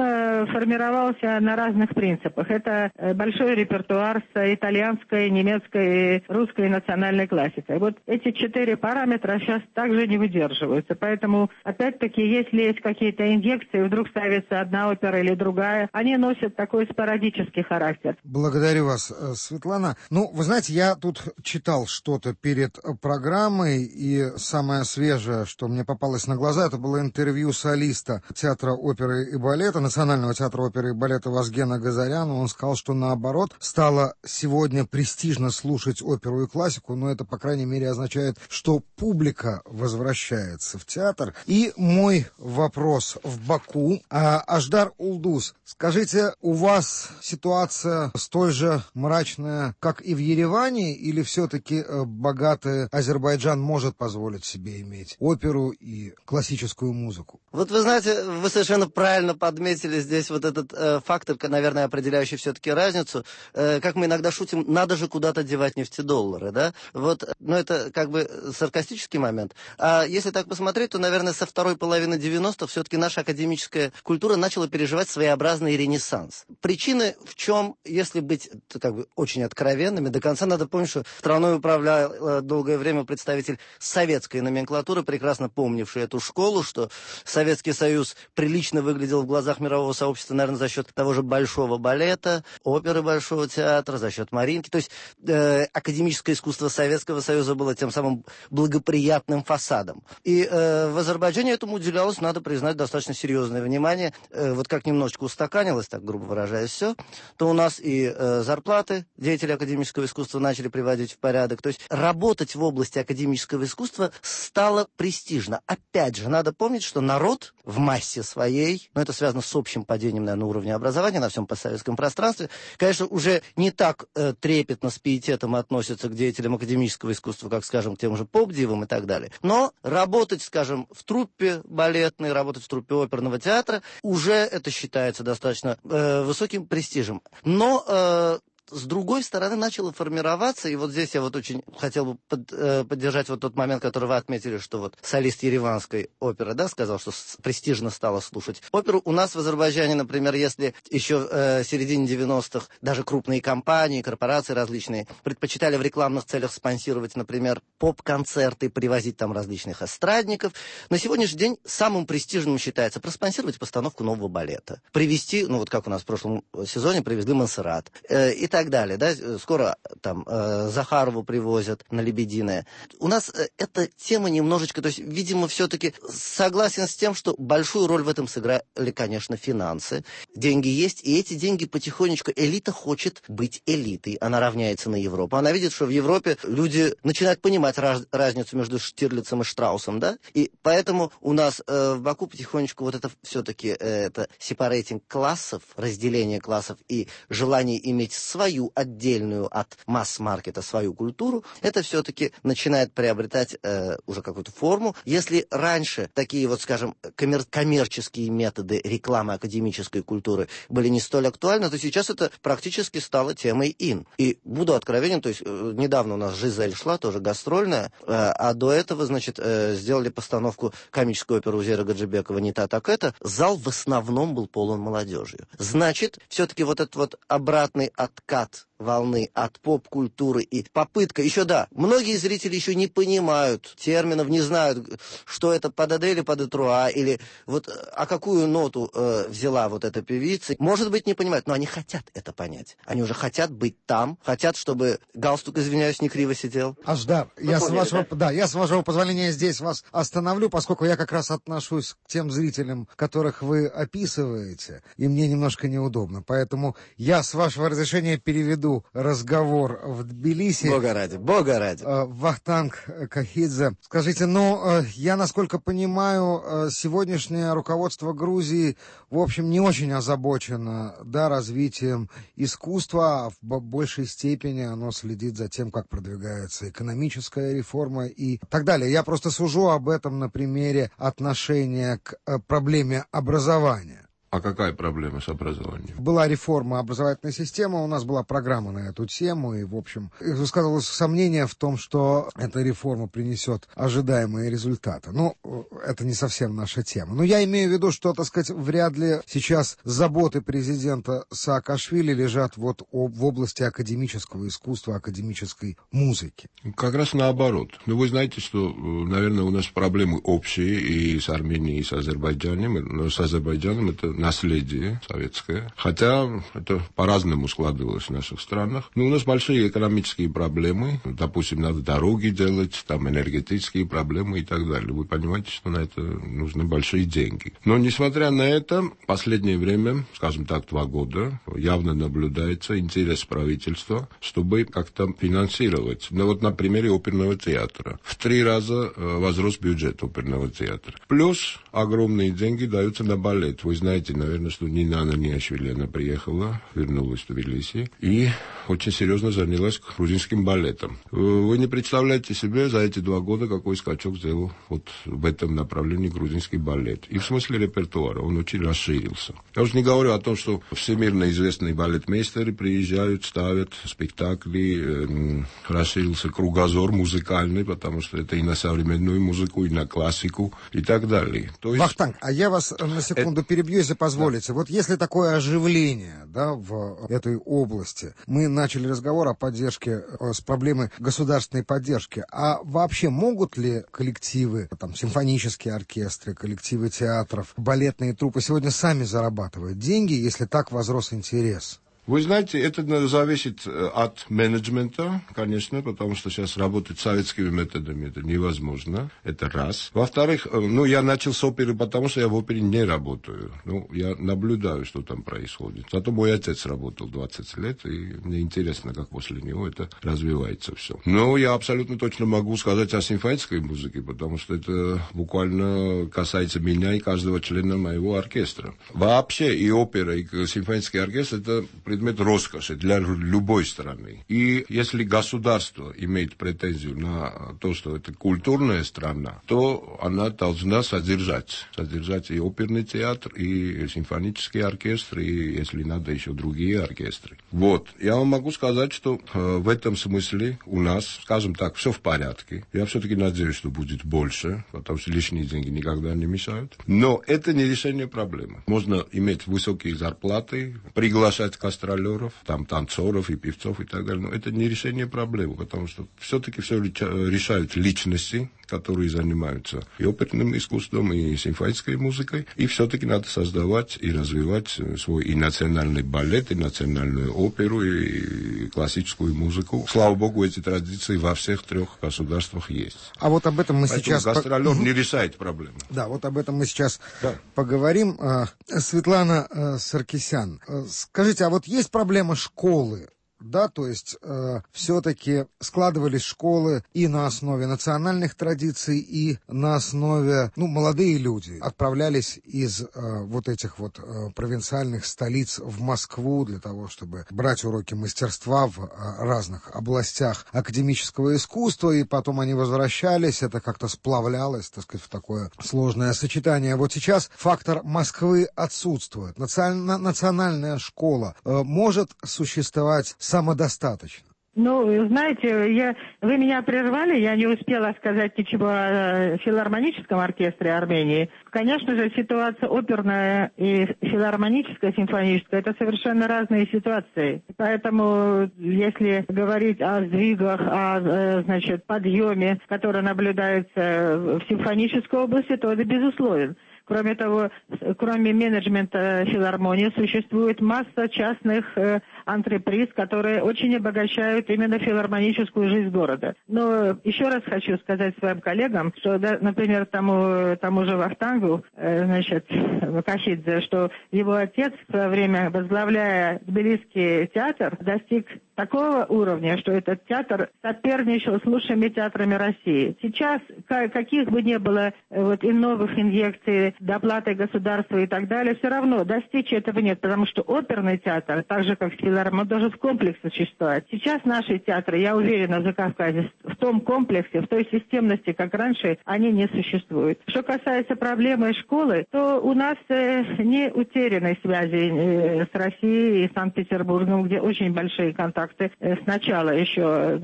формировался на разных принципах. Это большой репертуар с итальянской, немецкой, русской национальной классикой. Вот эти 4 параметра сейчас также не выдерживаются. Поэтому, опять-таки, если есть какие-то инъекции, вдруг ставится одна опера или другая, они носят такой спорадический характер. Благодарю вас, Светлана. Ну, вы знаете, я тут читал что-то перед программой, и самое свежее, что мне попалось на глаза, это было интервью солиста театра оперы и балета, Национального театра оперы и балета Вазгена Газаряна. Он сказал, что наоборот, стало сегодня престижно слушать оперу и классику, но это, по крайней мере, означает, что публика возвращается в театр. И мой вопрос в Баку. Аждар Улдус, скажите, у вас ситуация столь же мрачная, как и в Ереване, или все-таки богатый Азербайджан может позволить себе иметь оперу и классическую музыку? Вот вы знаете, вы совершенно правильно подметили здесь вот этот фактор, наверное, определяющий все-таки разницу. Как мы иногда шутим, надо же куда-то девать нефтедоллары, да? Вот, но это как бы саркастический момент. А если так посмотреть, то, наверное, со второй половины 90-х все-таки наша академическая культура начала переживать своеобразный ренессанс. Причины в чем, если быть как бы очень откровенными, до конца надо помнить, что страной управлял долгое время представитель советской номенклатуры, прекрасно помнивший эту школу, что Советский Союз прилично выглядел в глазах мирового сообщества, наверное, за счет того же большого балета, оперы Большого театра, за счет Маринки. То есть академическое искусство Советского Союза было тем самым благоприятным фасадом. И в Азербайджане этому уделялось, надо признать, достаточно серьезное внимание. Вот как немножечко устаканилось, так грубо выражаясь, все, то у нас и зарплаты деятели академического искусства начали приводить в порядок. То есть работать в области академического искусства стало престижно. Опять же, надо помнить, что народ в массе своей, но это связано с общим падением, наверное, уровня образования на всем постсоветском пространстве, конечно, уже не так трепетно, с пиететом относится к деятелям академического искусства, как, скажем, к тем же поп-дивам и так далее. Но работать, скажем, в труппе балетной, работать в труппе оперного театра, уже это считается достаточно высоким престижем. Но с другой стороны, начало формироваться, и вот здесь я вот очень хотел бы поддержать вот тот момент, который вы отметили, что вот солист ереванской оперы, да, сказал, что престижно стало слушать оперу. У нас в Азербайджане, например, если еще в середине 90-х даже крупные компании, корпорации различные предпочитали в рекламных целях спонсировать, например, поп-концерты, привозить там различных эстрадников, на сегодняшний день самым престижным считается проспонсировать постановку нового балета, привезти, ну вот как у нас в прошлом сезоне привезли Монсеррат, и так далее, да, скоро там Захарову привозят на Лебединое. У нас эта тема немножечко, то есть, видимо, все-таки согласен с тем, что большую роль в этом сыграли, конечно, финансы. Деньги есть, и эти деньги потихонечку, элита хочет быть элитой, она равняется на Европу. Она видит, что в Европе люди начинают понимать разницу между Штирлицем и Штраусом, да, и поэтому у нас в Баку потихонечку вот это все-таки это сепарейтинг классов, разделение классов и желание иметь свою отдельную от масс-маркета свою культуру, это все-таки начинает приобретать уже какую-то форму. Если раньше такие вот, скажем, коммерческие методы рекламы академической культуры были не столь актуальны, то сейчас это практически стало темой ин. И буду откровенен, то есть недавно у нас «Жизель» шла, тоже гастрольная, а до этого, значит, сделали постановку комической оперы Узера Гаджибекова «Не та, так это». Зал в основном был полон молодежью. Значит, все-таки вот этот вот обратный откат волны, от поп-культуры и попытка, еще да, многие зрители еще не понимают терминов, не знают, что это пададе или падетруа, или вот а какую ноту взяла вот эта певица. Может быть, не понимают, но они хотят это понять. Они уже хотят быть там, хотят, чтобы галстук, извиняюсь, не криво сидел. Аждар, я с вашего позволения здесь вас остановлю, поскольку я как раз отношусь к тем зрителям, которых вы описываете, и мне немножко неудобно. Поэтому я, с вашего разрешения, переведу разговор в Тбилиси. Бога ради, Бога ради. Вахтанг Кахидзе. Скажите, я, насколько понимаю, сегодняшнее руководство Грузии, в общем, не очень озабочено, развитием искусства, а в большей степени оно следит за тем, как продвигается экономическая реформа и так далее. Я просто сужу об этом на примере отношения к проблеме образования. А какая проблема с образованием? Была реформа образовательной системы, у нас была программа на эту тему, и, в общем, высказывалось сомнение в том, что эта реформа принесет ожидаемые результаты. Это не совсем наша тема. Но я имею в виду, что, так сказать, вряд ли сейчас заботы президента Саакашвили лежат вот в области академического искусства, академической музыки. Как раз наоборот. Вы знаете, что, наверное, у нас проблемы общие и с Арменией, и с Азербайджаном. Но с Азербайджаном это наследие советское, хотя это по-разному складывалось в наших странах. Но у нас большие экономические проблемы, допустим, надо дороги делать, там энергетические проблемы и так далее. Вы понимаете, что на это нужны большие деньги. Но, несмотря на это, в последнее время, скажем так, 2 года, явно наблюдается интерес правительства, чтобы как-то финансировать. На примере оперного театра. В 3 раза возрос бюджет оперного театра. Плюс огромные деньги даются на балет. Вы знаете, наверное, что Нина Ананиашвили, она приехала, вернулась в Тбилиси и очень серьезно занялась грузинским балетом. Вы не представляете себе за эти 2 года, какой скачок сделал вот в этом направлении грузинский балет. И в смысле репертуара он очень расширился. Я уже не говорю о том, что всемирно известные балетмейстеры приезжают, ставят спектакли, расширился кругозор музыкальный, потому что это и на современную музыку, и на классику, и так далее. То есть... Вахтанг, а я вас на секунду перебью, если позволите. Да. Вот если такое оживление в этой области, мы начали разговор о поддержке, с проблемой государственной поддержки, а вообще могут ли коллективы, симфонические оркестры, коллективы театров, балетные труппы сегодня сами зарабатывать деньги, если так возрос интерес? Вы знаете, это зависит от менеджмента, конечно, потому что сейчас работать советскими методами это невозможно, это раз. Во-вторых, я начал с оперы, потому что я в опере не работаю. Я наблюдаю, что там происходит. Зато мой отец работал 20 лет, и мне интересно, как после него это развивается все. Но я абсолютно точно могу сказать о симфонической музыке, потому что это буквально касается меня и каждого члена моего оркестра. Вообще и опера, и симфонический оркестр это предмет роскоши для любой страны. И если государство имеет претензию на то, что это культурная страна, то она должна содержать и оперный театр, и симфонический оркестр, и, если надо, еще другие оркестры. Я вам могу сказать, что в этом смысле у нас, скажем так, все в порядке. Я все-таки надеюсь, что будет больше, потому что лишние деньги никогда не мешают. Но это не решение проблемы. Можно иметь высокие зарплаты, приглашать гастролеров, танцоров и певцов и так далее. Но это не решение проблемы, потому что все-таки все решают личности, которые занимаются и оперным искусством, и симфонической музыкой. И все-таки надо создавать и развивать свой и национальный балет, и национальную оперу, и классическую музыку. Слава богу, эти традиции во всех 3 государствах есть. А вот об этом мы Поэтому сейчас... гастролер не решает проблему. Да, вот об этом мы сейчас поговорим. Светлана Саркисян, скажите, а вот есть проблема школы? То есть все-таки складывались школы и на основе национальных традиций, и на основе, молодые люди отправлялись из этих провинциальных столиц в Москву для того, чтобы брать уроки мастерства в разных областях академического искусства, и потом они возвращались, это как-то сплавлялось, так сказать, в такое сложное сочетание. Вот сейчас фактор Москвы отсутствует. Национальная школа может существовать самодостаточно? Ну, знаете, вы меня прервали, я не успела сказать ничего о филармоническом оркестре Армении. Конечно же, ситуация оперная и филармоническая, симфоническая, это совершенно разные ситуации. Поэтому, если говорить о сдвигах, о, подъеме, который наблюдается в симфонической области, то это безусловно. Кроме того, кроме менеджмента филармонии, существует масса частных антреприз, которые очень обогащают именно филармоническую жизнь города. Но еще раз хочу сказать своим коллегам, что, например, тому же Вахтангу, Кашидзе, что его отец в свое время, возглавляя Тбилисский театр, достиг такого уровня, что этот театр соперничал с лучшими театрами России. Сейчас, каких бы ни было и новых инъекций, доплаты государства и так далее, все равно достичь этого нет, потому что оперный театр, так же как филармония, должен в комплексе существовать. Сейчас наши театры, я уверена, в Закавказье, в том комплексе, в той системности, как раньше, они не существуют. Что касается проблемы школы, то у нас не утеряны связи с Россией и Санкт-Петербургом, где очень большие контакты. Сначала еще,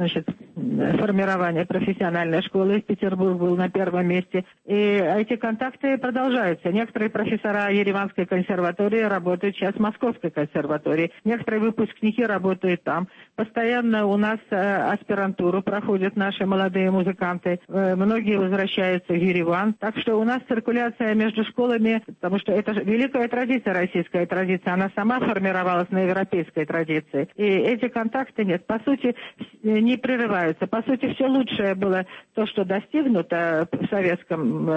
формирование профессиональной школы, Петербург был на первом месте. И эти контакты продолжаются. Некоторые профессора Ереванской консерватории работают сейчас в Московской консерватории. Некоторые выпускники работают там. Постоянно у нас аспирантуру проходят наши молодые музыканты. Многие возвращаются в Ереван. Так что у нас циркуляция между школами, потому что это великая традиция, российская традиция. Она сама формировалась на европейской традиции. И эти контакты нет. По сути, не прерываются. По сути, все лучшее было то, что достигнуто в советском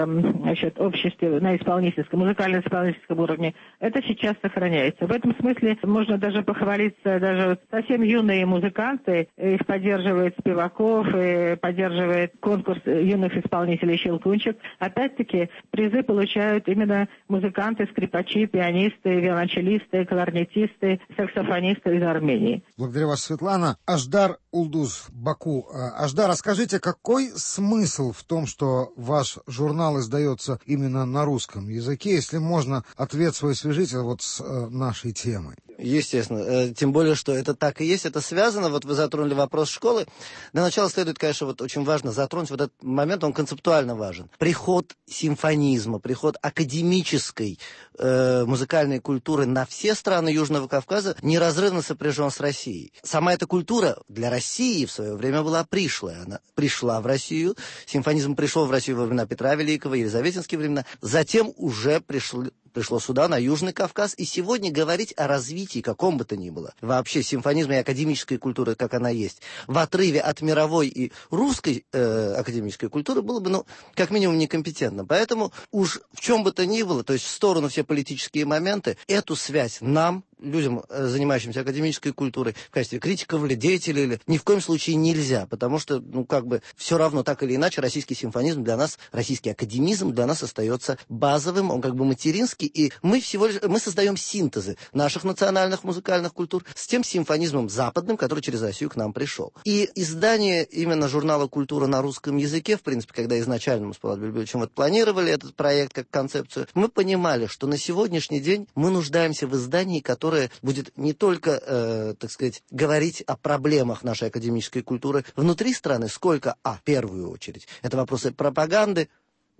обществе на исполнительском, музыкально-исполнительском уровне. Это сейчас сохраняется. В этом смысле можно даже похвалиться, даже совсем юные музыканты, их поддерживает Спиваков, и поддерживает конкурс юных исполнителей «Щелкунчик». Опять-таки, призы получают именно музыканты, скрипачи, пианисты, виолончелисты, кларнетисты, саксофонисты из Армении. Благодарю вас, Светлана. Аждар Улдуз, Баку. Аждар, расскажите, какой смысл в том, что ваш журнал издается именно на русском языке, если можно, ответ свой свяжите с нашей темой? Естественно. Тем более, что это так и есть, это связано. Вы затронули вопрос школы. Для начала следует, конечно, очень важно затронуть этот момент, он концептуально важен. Приход симфонизма, приход академической музыкальной культуры на все страны Южного Кавказа неразрывно сопряжен с Россией. Сама эта культура для России в свое время была пришлая. Она пришла в Россию, симфонизм пришел в Россию во времена Петра Великого, елизаветинские времена, затем уже пришло сюда, на Южный Кавказ, и сегодня говорить о развитии, каком бы то ни было, вообще симфонизма и академической культуры, как она есть, в отрыве от мировой и русской академической культуры было бы, как минимум, некомпетентно. Поэтому уж в чем бы то ни было, то есть в сторону все политические моменты, эту связь нам, людям, занимающимся академической культурой, в качестве критиков или деятелей, или ни в коем случае нельзя, потому что, все равно, так или иначе, российский симфонизм для нас, российский академизм для нас остается базовым, он материнский, и мы создаем синтезы наших национальных музыкальных культур с тем симфонизмом западным, который через Россию к нам пришел. И издание именно журнала «Культура» на русском языке, в принципе, когда изначально мы с Павлом Бельбевичем планировали этот проект как концепцию, мы понимали, что на сегодняшний день мы нуждаемся в издании, которое будет не только, говорить о проблемах нашей академической культуры внутри страны, сколько, в первую очередь, это вопросы пропаганды,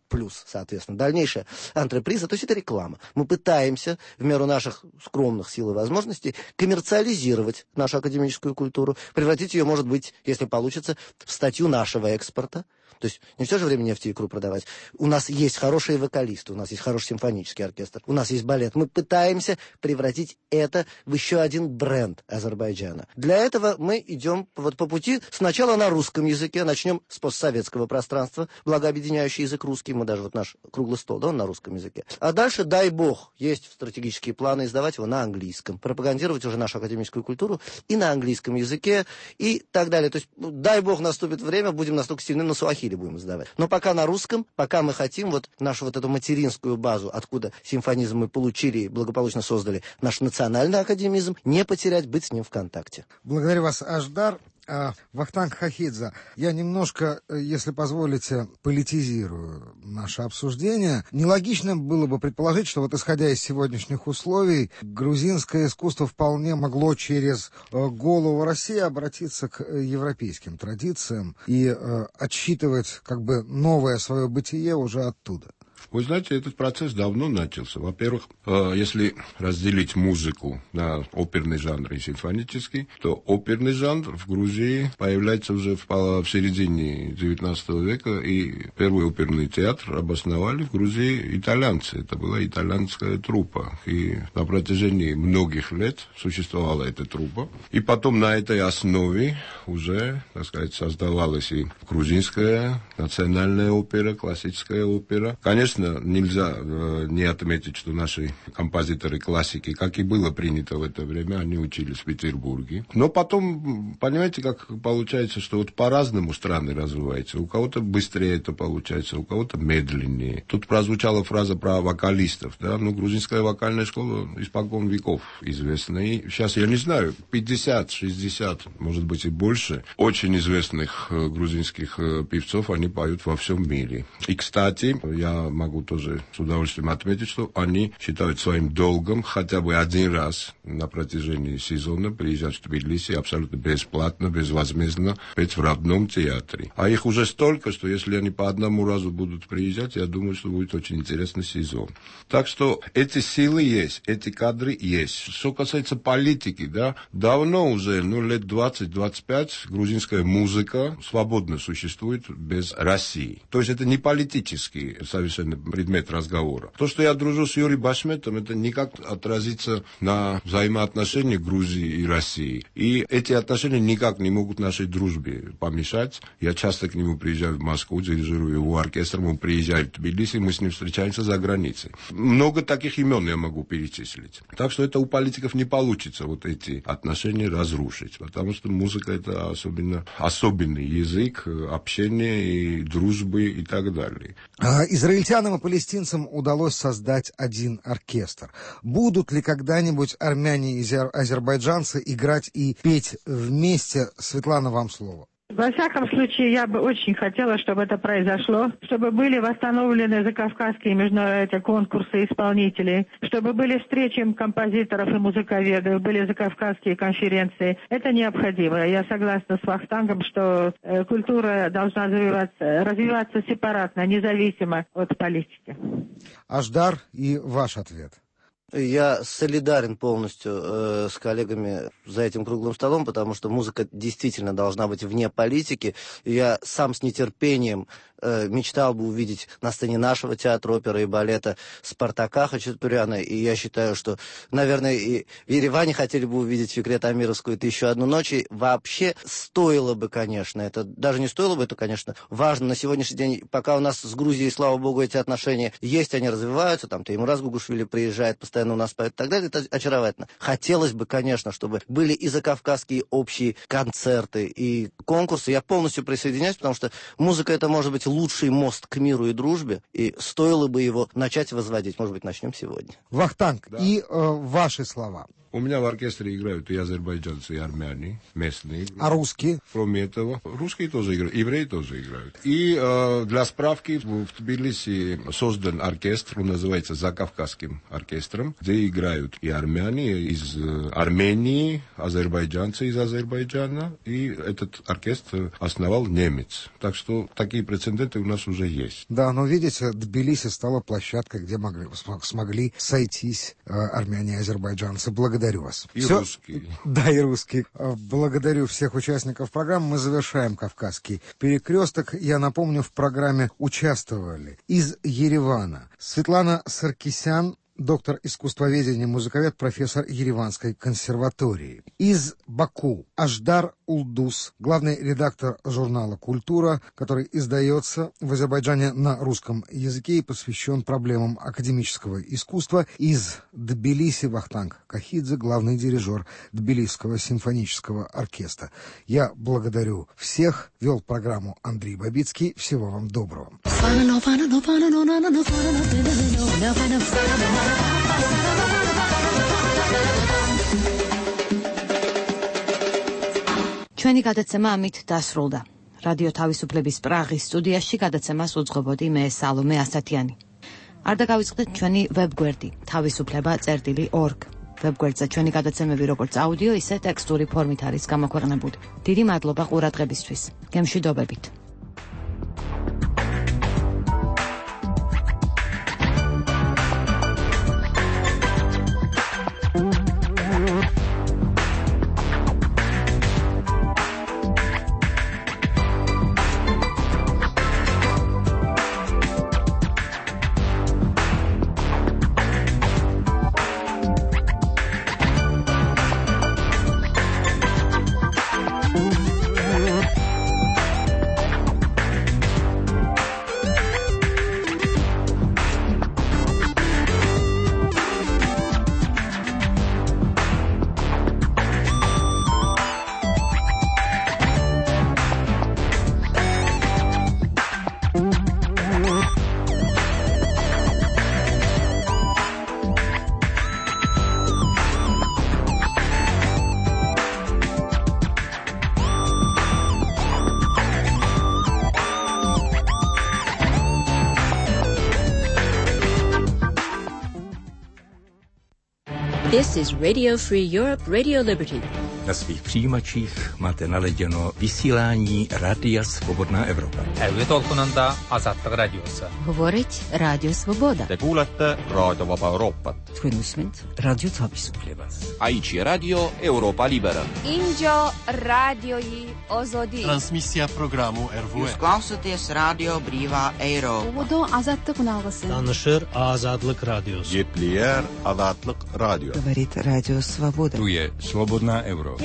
плюс, соответственно, дальнейшая антреприза, то есть это реклама. Мы пытаемся, в меру наших скромных сил и возможностей, коммерциализировать нашу академическую культуру, превратить ее, может быть, если получится, в статью нашего экспорта. То есть не все же время нефть и икру продавать. У нас есть хорошие вокалисты, у нас есть хороший симфонический оркестр, у нас есть балет. Мы пытаемся превратить это в еще один бренд Азербайджана. Для этого мы идем по пути сначала на русском языке, начнем с постсоветского пространства, благо объединяющий язык русский, мы даже наш круглый стол, он на русском языке. А дальше, дай бог, есть стратегические планы издавать его на английском, пропагандировать уже нашу академическую культуру и на английском языке, и так далее. То есть, дай бог, наступит время, будем настолько сильны, на суахили будем издавать. Но пока на русском, пока мы хотим нашу эту материнскую базу, откуда симфонизм мы получили и благополучно создали наш национальный академизм, не потерять, быть с ним в контакте. Благодарю вас, Аждар. Вахтанг Хахидзе, я немножко, если позволите, политизирую наше обсуждение. Нелогично было бы предположить, что вот исходя из сегодняшних условий, грузинское искусство вполне могло через голову России обратиться к европейским традициям и отсчитывать как бы новое свое бытие уже оттуда. Вы знаете, этот процесс давно начался. Во-первых, если разделить музыку на оперный жанр и симфонический, то оперный жанр в Грузии появляется уже в середине XIX века, и первый оперный театр обосновали в Грузии итальянцы. Это была итальянская труппа. И на протяжении многих лет существовала эта труппа. И потом на этой основе уже, так сказать, создавалась и грузинская национальная опера, классическая опера. Конечно, нельзя не отметить, что наши композиторы-классики, как и было принято в это время, они учились в Петербурге. Но потом, понимаете, как получается, что вот по-разному страны развиваются. У кого-то быстрее это получается, у кого-то медленнее. Тут прозвучала фраза про вокалистов, да, ну, грузинская вокальная школа испокон веков известна. И сейчас, я не знаю, 50, 60, может быть и больше, очень известных грузинских певцов, они поют во всем мире. И, кстати, я могу тоже с удовольствием отметить, что они считают своим долгом хотя бы один раз на протяжении сезона приезжать в Тбилиси абсолютно бесплатно, безвозмездно петь в родном театре. А их уже столько, что если они по одному разу будут приезжать, я думаю, что будет очень интересный сезон. Так что эти силы есть, эти кадры есть. Что касается политики, да, давно уже, лет 20-25 грузинская музыка свободно существует без России. То есть это не политический совершенно предмет разговора. То, что я дружу с Юрием Башметом, это никак отразится на взаимоотношения Грузии и России. И эти отношения никак не могут нашей дружбе помешать. Я часто к нему приезжаю в Москву, дирижирую его оркестром, он приезжает в Тбилиси, мы с ним встречаемся за границей. Много таких имен я могу перечислить. Так что это у политиков не получится вот эти отношения разрушить, потому что музыка это особенный язык общения и дружбы и так далее. Израильтянам и палестинцам удалось создать один оркестр. Будут ли когда-нибудь армяне и азербайджанцы играть и петь вместе? Светлана, вам слово. Во всяком случае, я бы очень хотела, чтобы это произошло, чтобы были восстановлены закавказские международные конкурсы исполнителей, чтобы были встречи композиторов и музыковедов, были закавказские конференции. Это необходимо. Я согласна с Вахтангом, что культура должна развиваться сепаратно, независимо от политики. Аждар, и ваш ответ. Я солидарен полностью с коллегами за этим круглым столом, потому что музыка действительно должна быть вне политики. Я сам с нетерпением мечтал бы увидеть на сцене нашего театра оперы и балета Спартака Хачатуряна. И я считаю, что, наверное, и в Ереване хотели бы увидеть Фикрет Амировскую «Тысячу одну ночь». И вообще стоило бы, конечно, это даже не стоило бы, это, конечно, важно на сегодняшний день, пока у нас с Грузией, слава богу, эти отношения есть, они развиваются, там Теймураз Гугушвили приезжает, постоянно у нас поет и так далее, это очаровательно. Хотелось бы, конечно, чтобы были и закавказские общие концерты, и конкурсы. Я полностью присоединяюсь, потому что музыка это может быть лучший мост к миру и дружбе, и стоило бы его начать возводить. Может быть, начнем сегодня. Вахтанг, да. И ваши слова. У меня в оркестре играют и азербайджанцы, и армяне, местные. А русские? Кроме этого, русские тоже играют, евреи тоже играют. И для справки, в Тбилиси создан оркестр, он называется Закавказским оркестром, где играют и армяне из Армении, азербайджанцы из Азербайджана, и этот оркестр основал немец. Так что такие прецеденты у нас уже есть. Да, но видите, Тбилиси стала площадкой, где смогли сойтись армяне и азербайджанцы. Благодарю вас. И все? Русские. Да, и русские. Благодарю всех участников программы. Мы завершаем «Кавказский перекресток». Я напомню, в программе участвовали из Еревана Светлана Саркисян, доктор искусствоведения, музыковед, профессор Ереванской консерватории. Из Баку Аждар Улдус, главный редактор журнала «Культура», который издается в Азербайджане на русском языке и посвящен проблемам академического искусства. Из Тбилиси Вахтанг Хахидзе, главный дирижер Тбилисского симфонического оркестра. Я благодарю всех. Вел программу Андрей Бабицкий. Всего вам доброго. ჩვენი გადაცემა ამით დასრულდა. რადიო თავისუფლების პრაღის სტუდიაში გადაცემას უძღვებოდი მე სალომე ასათიანი. არ დაგავიწყდეთ ჩვენი ვებგვერდი თავისუფლება.org. ვებგვერდზე ჩვენი გადაცემები როგორც აუდიო, ისე ტექსტური ფორმით არის გამოქვეყნებული. დიდი მადლობა ყურადღებისთვის. გემშვიდობებით. This is Radio Free Europe, Radio Liberty. Na svých přijímačích máte naladěno vysílání Rádia Svobodná Evropa. Älyt olkunanda Azadlık Radiosu. Говорить Радио Свобода. Te kuulete Raadio Vaba Euroopat. Თქვენ უსმენთ რადიო თავისუფლებას. Aici Radio Europa Libera. Injo radioi Ozodi. Transmisija programu RVE. Jūs klausāties Radio Brīvā Eiropa. Uvodo Azadlık nağısı. Tanışır Azadlık Radiosu. Yeplier Azadlık Radio. Говорит Радио Свобода. Tu je Slobodná Evropa.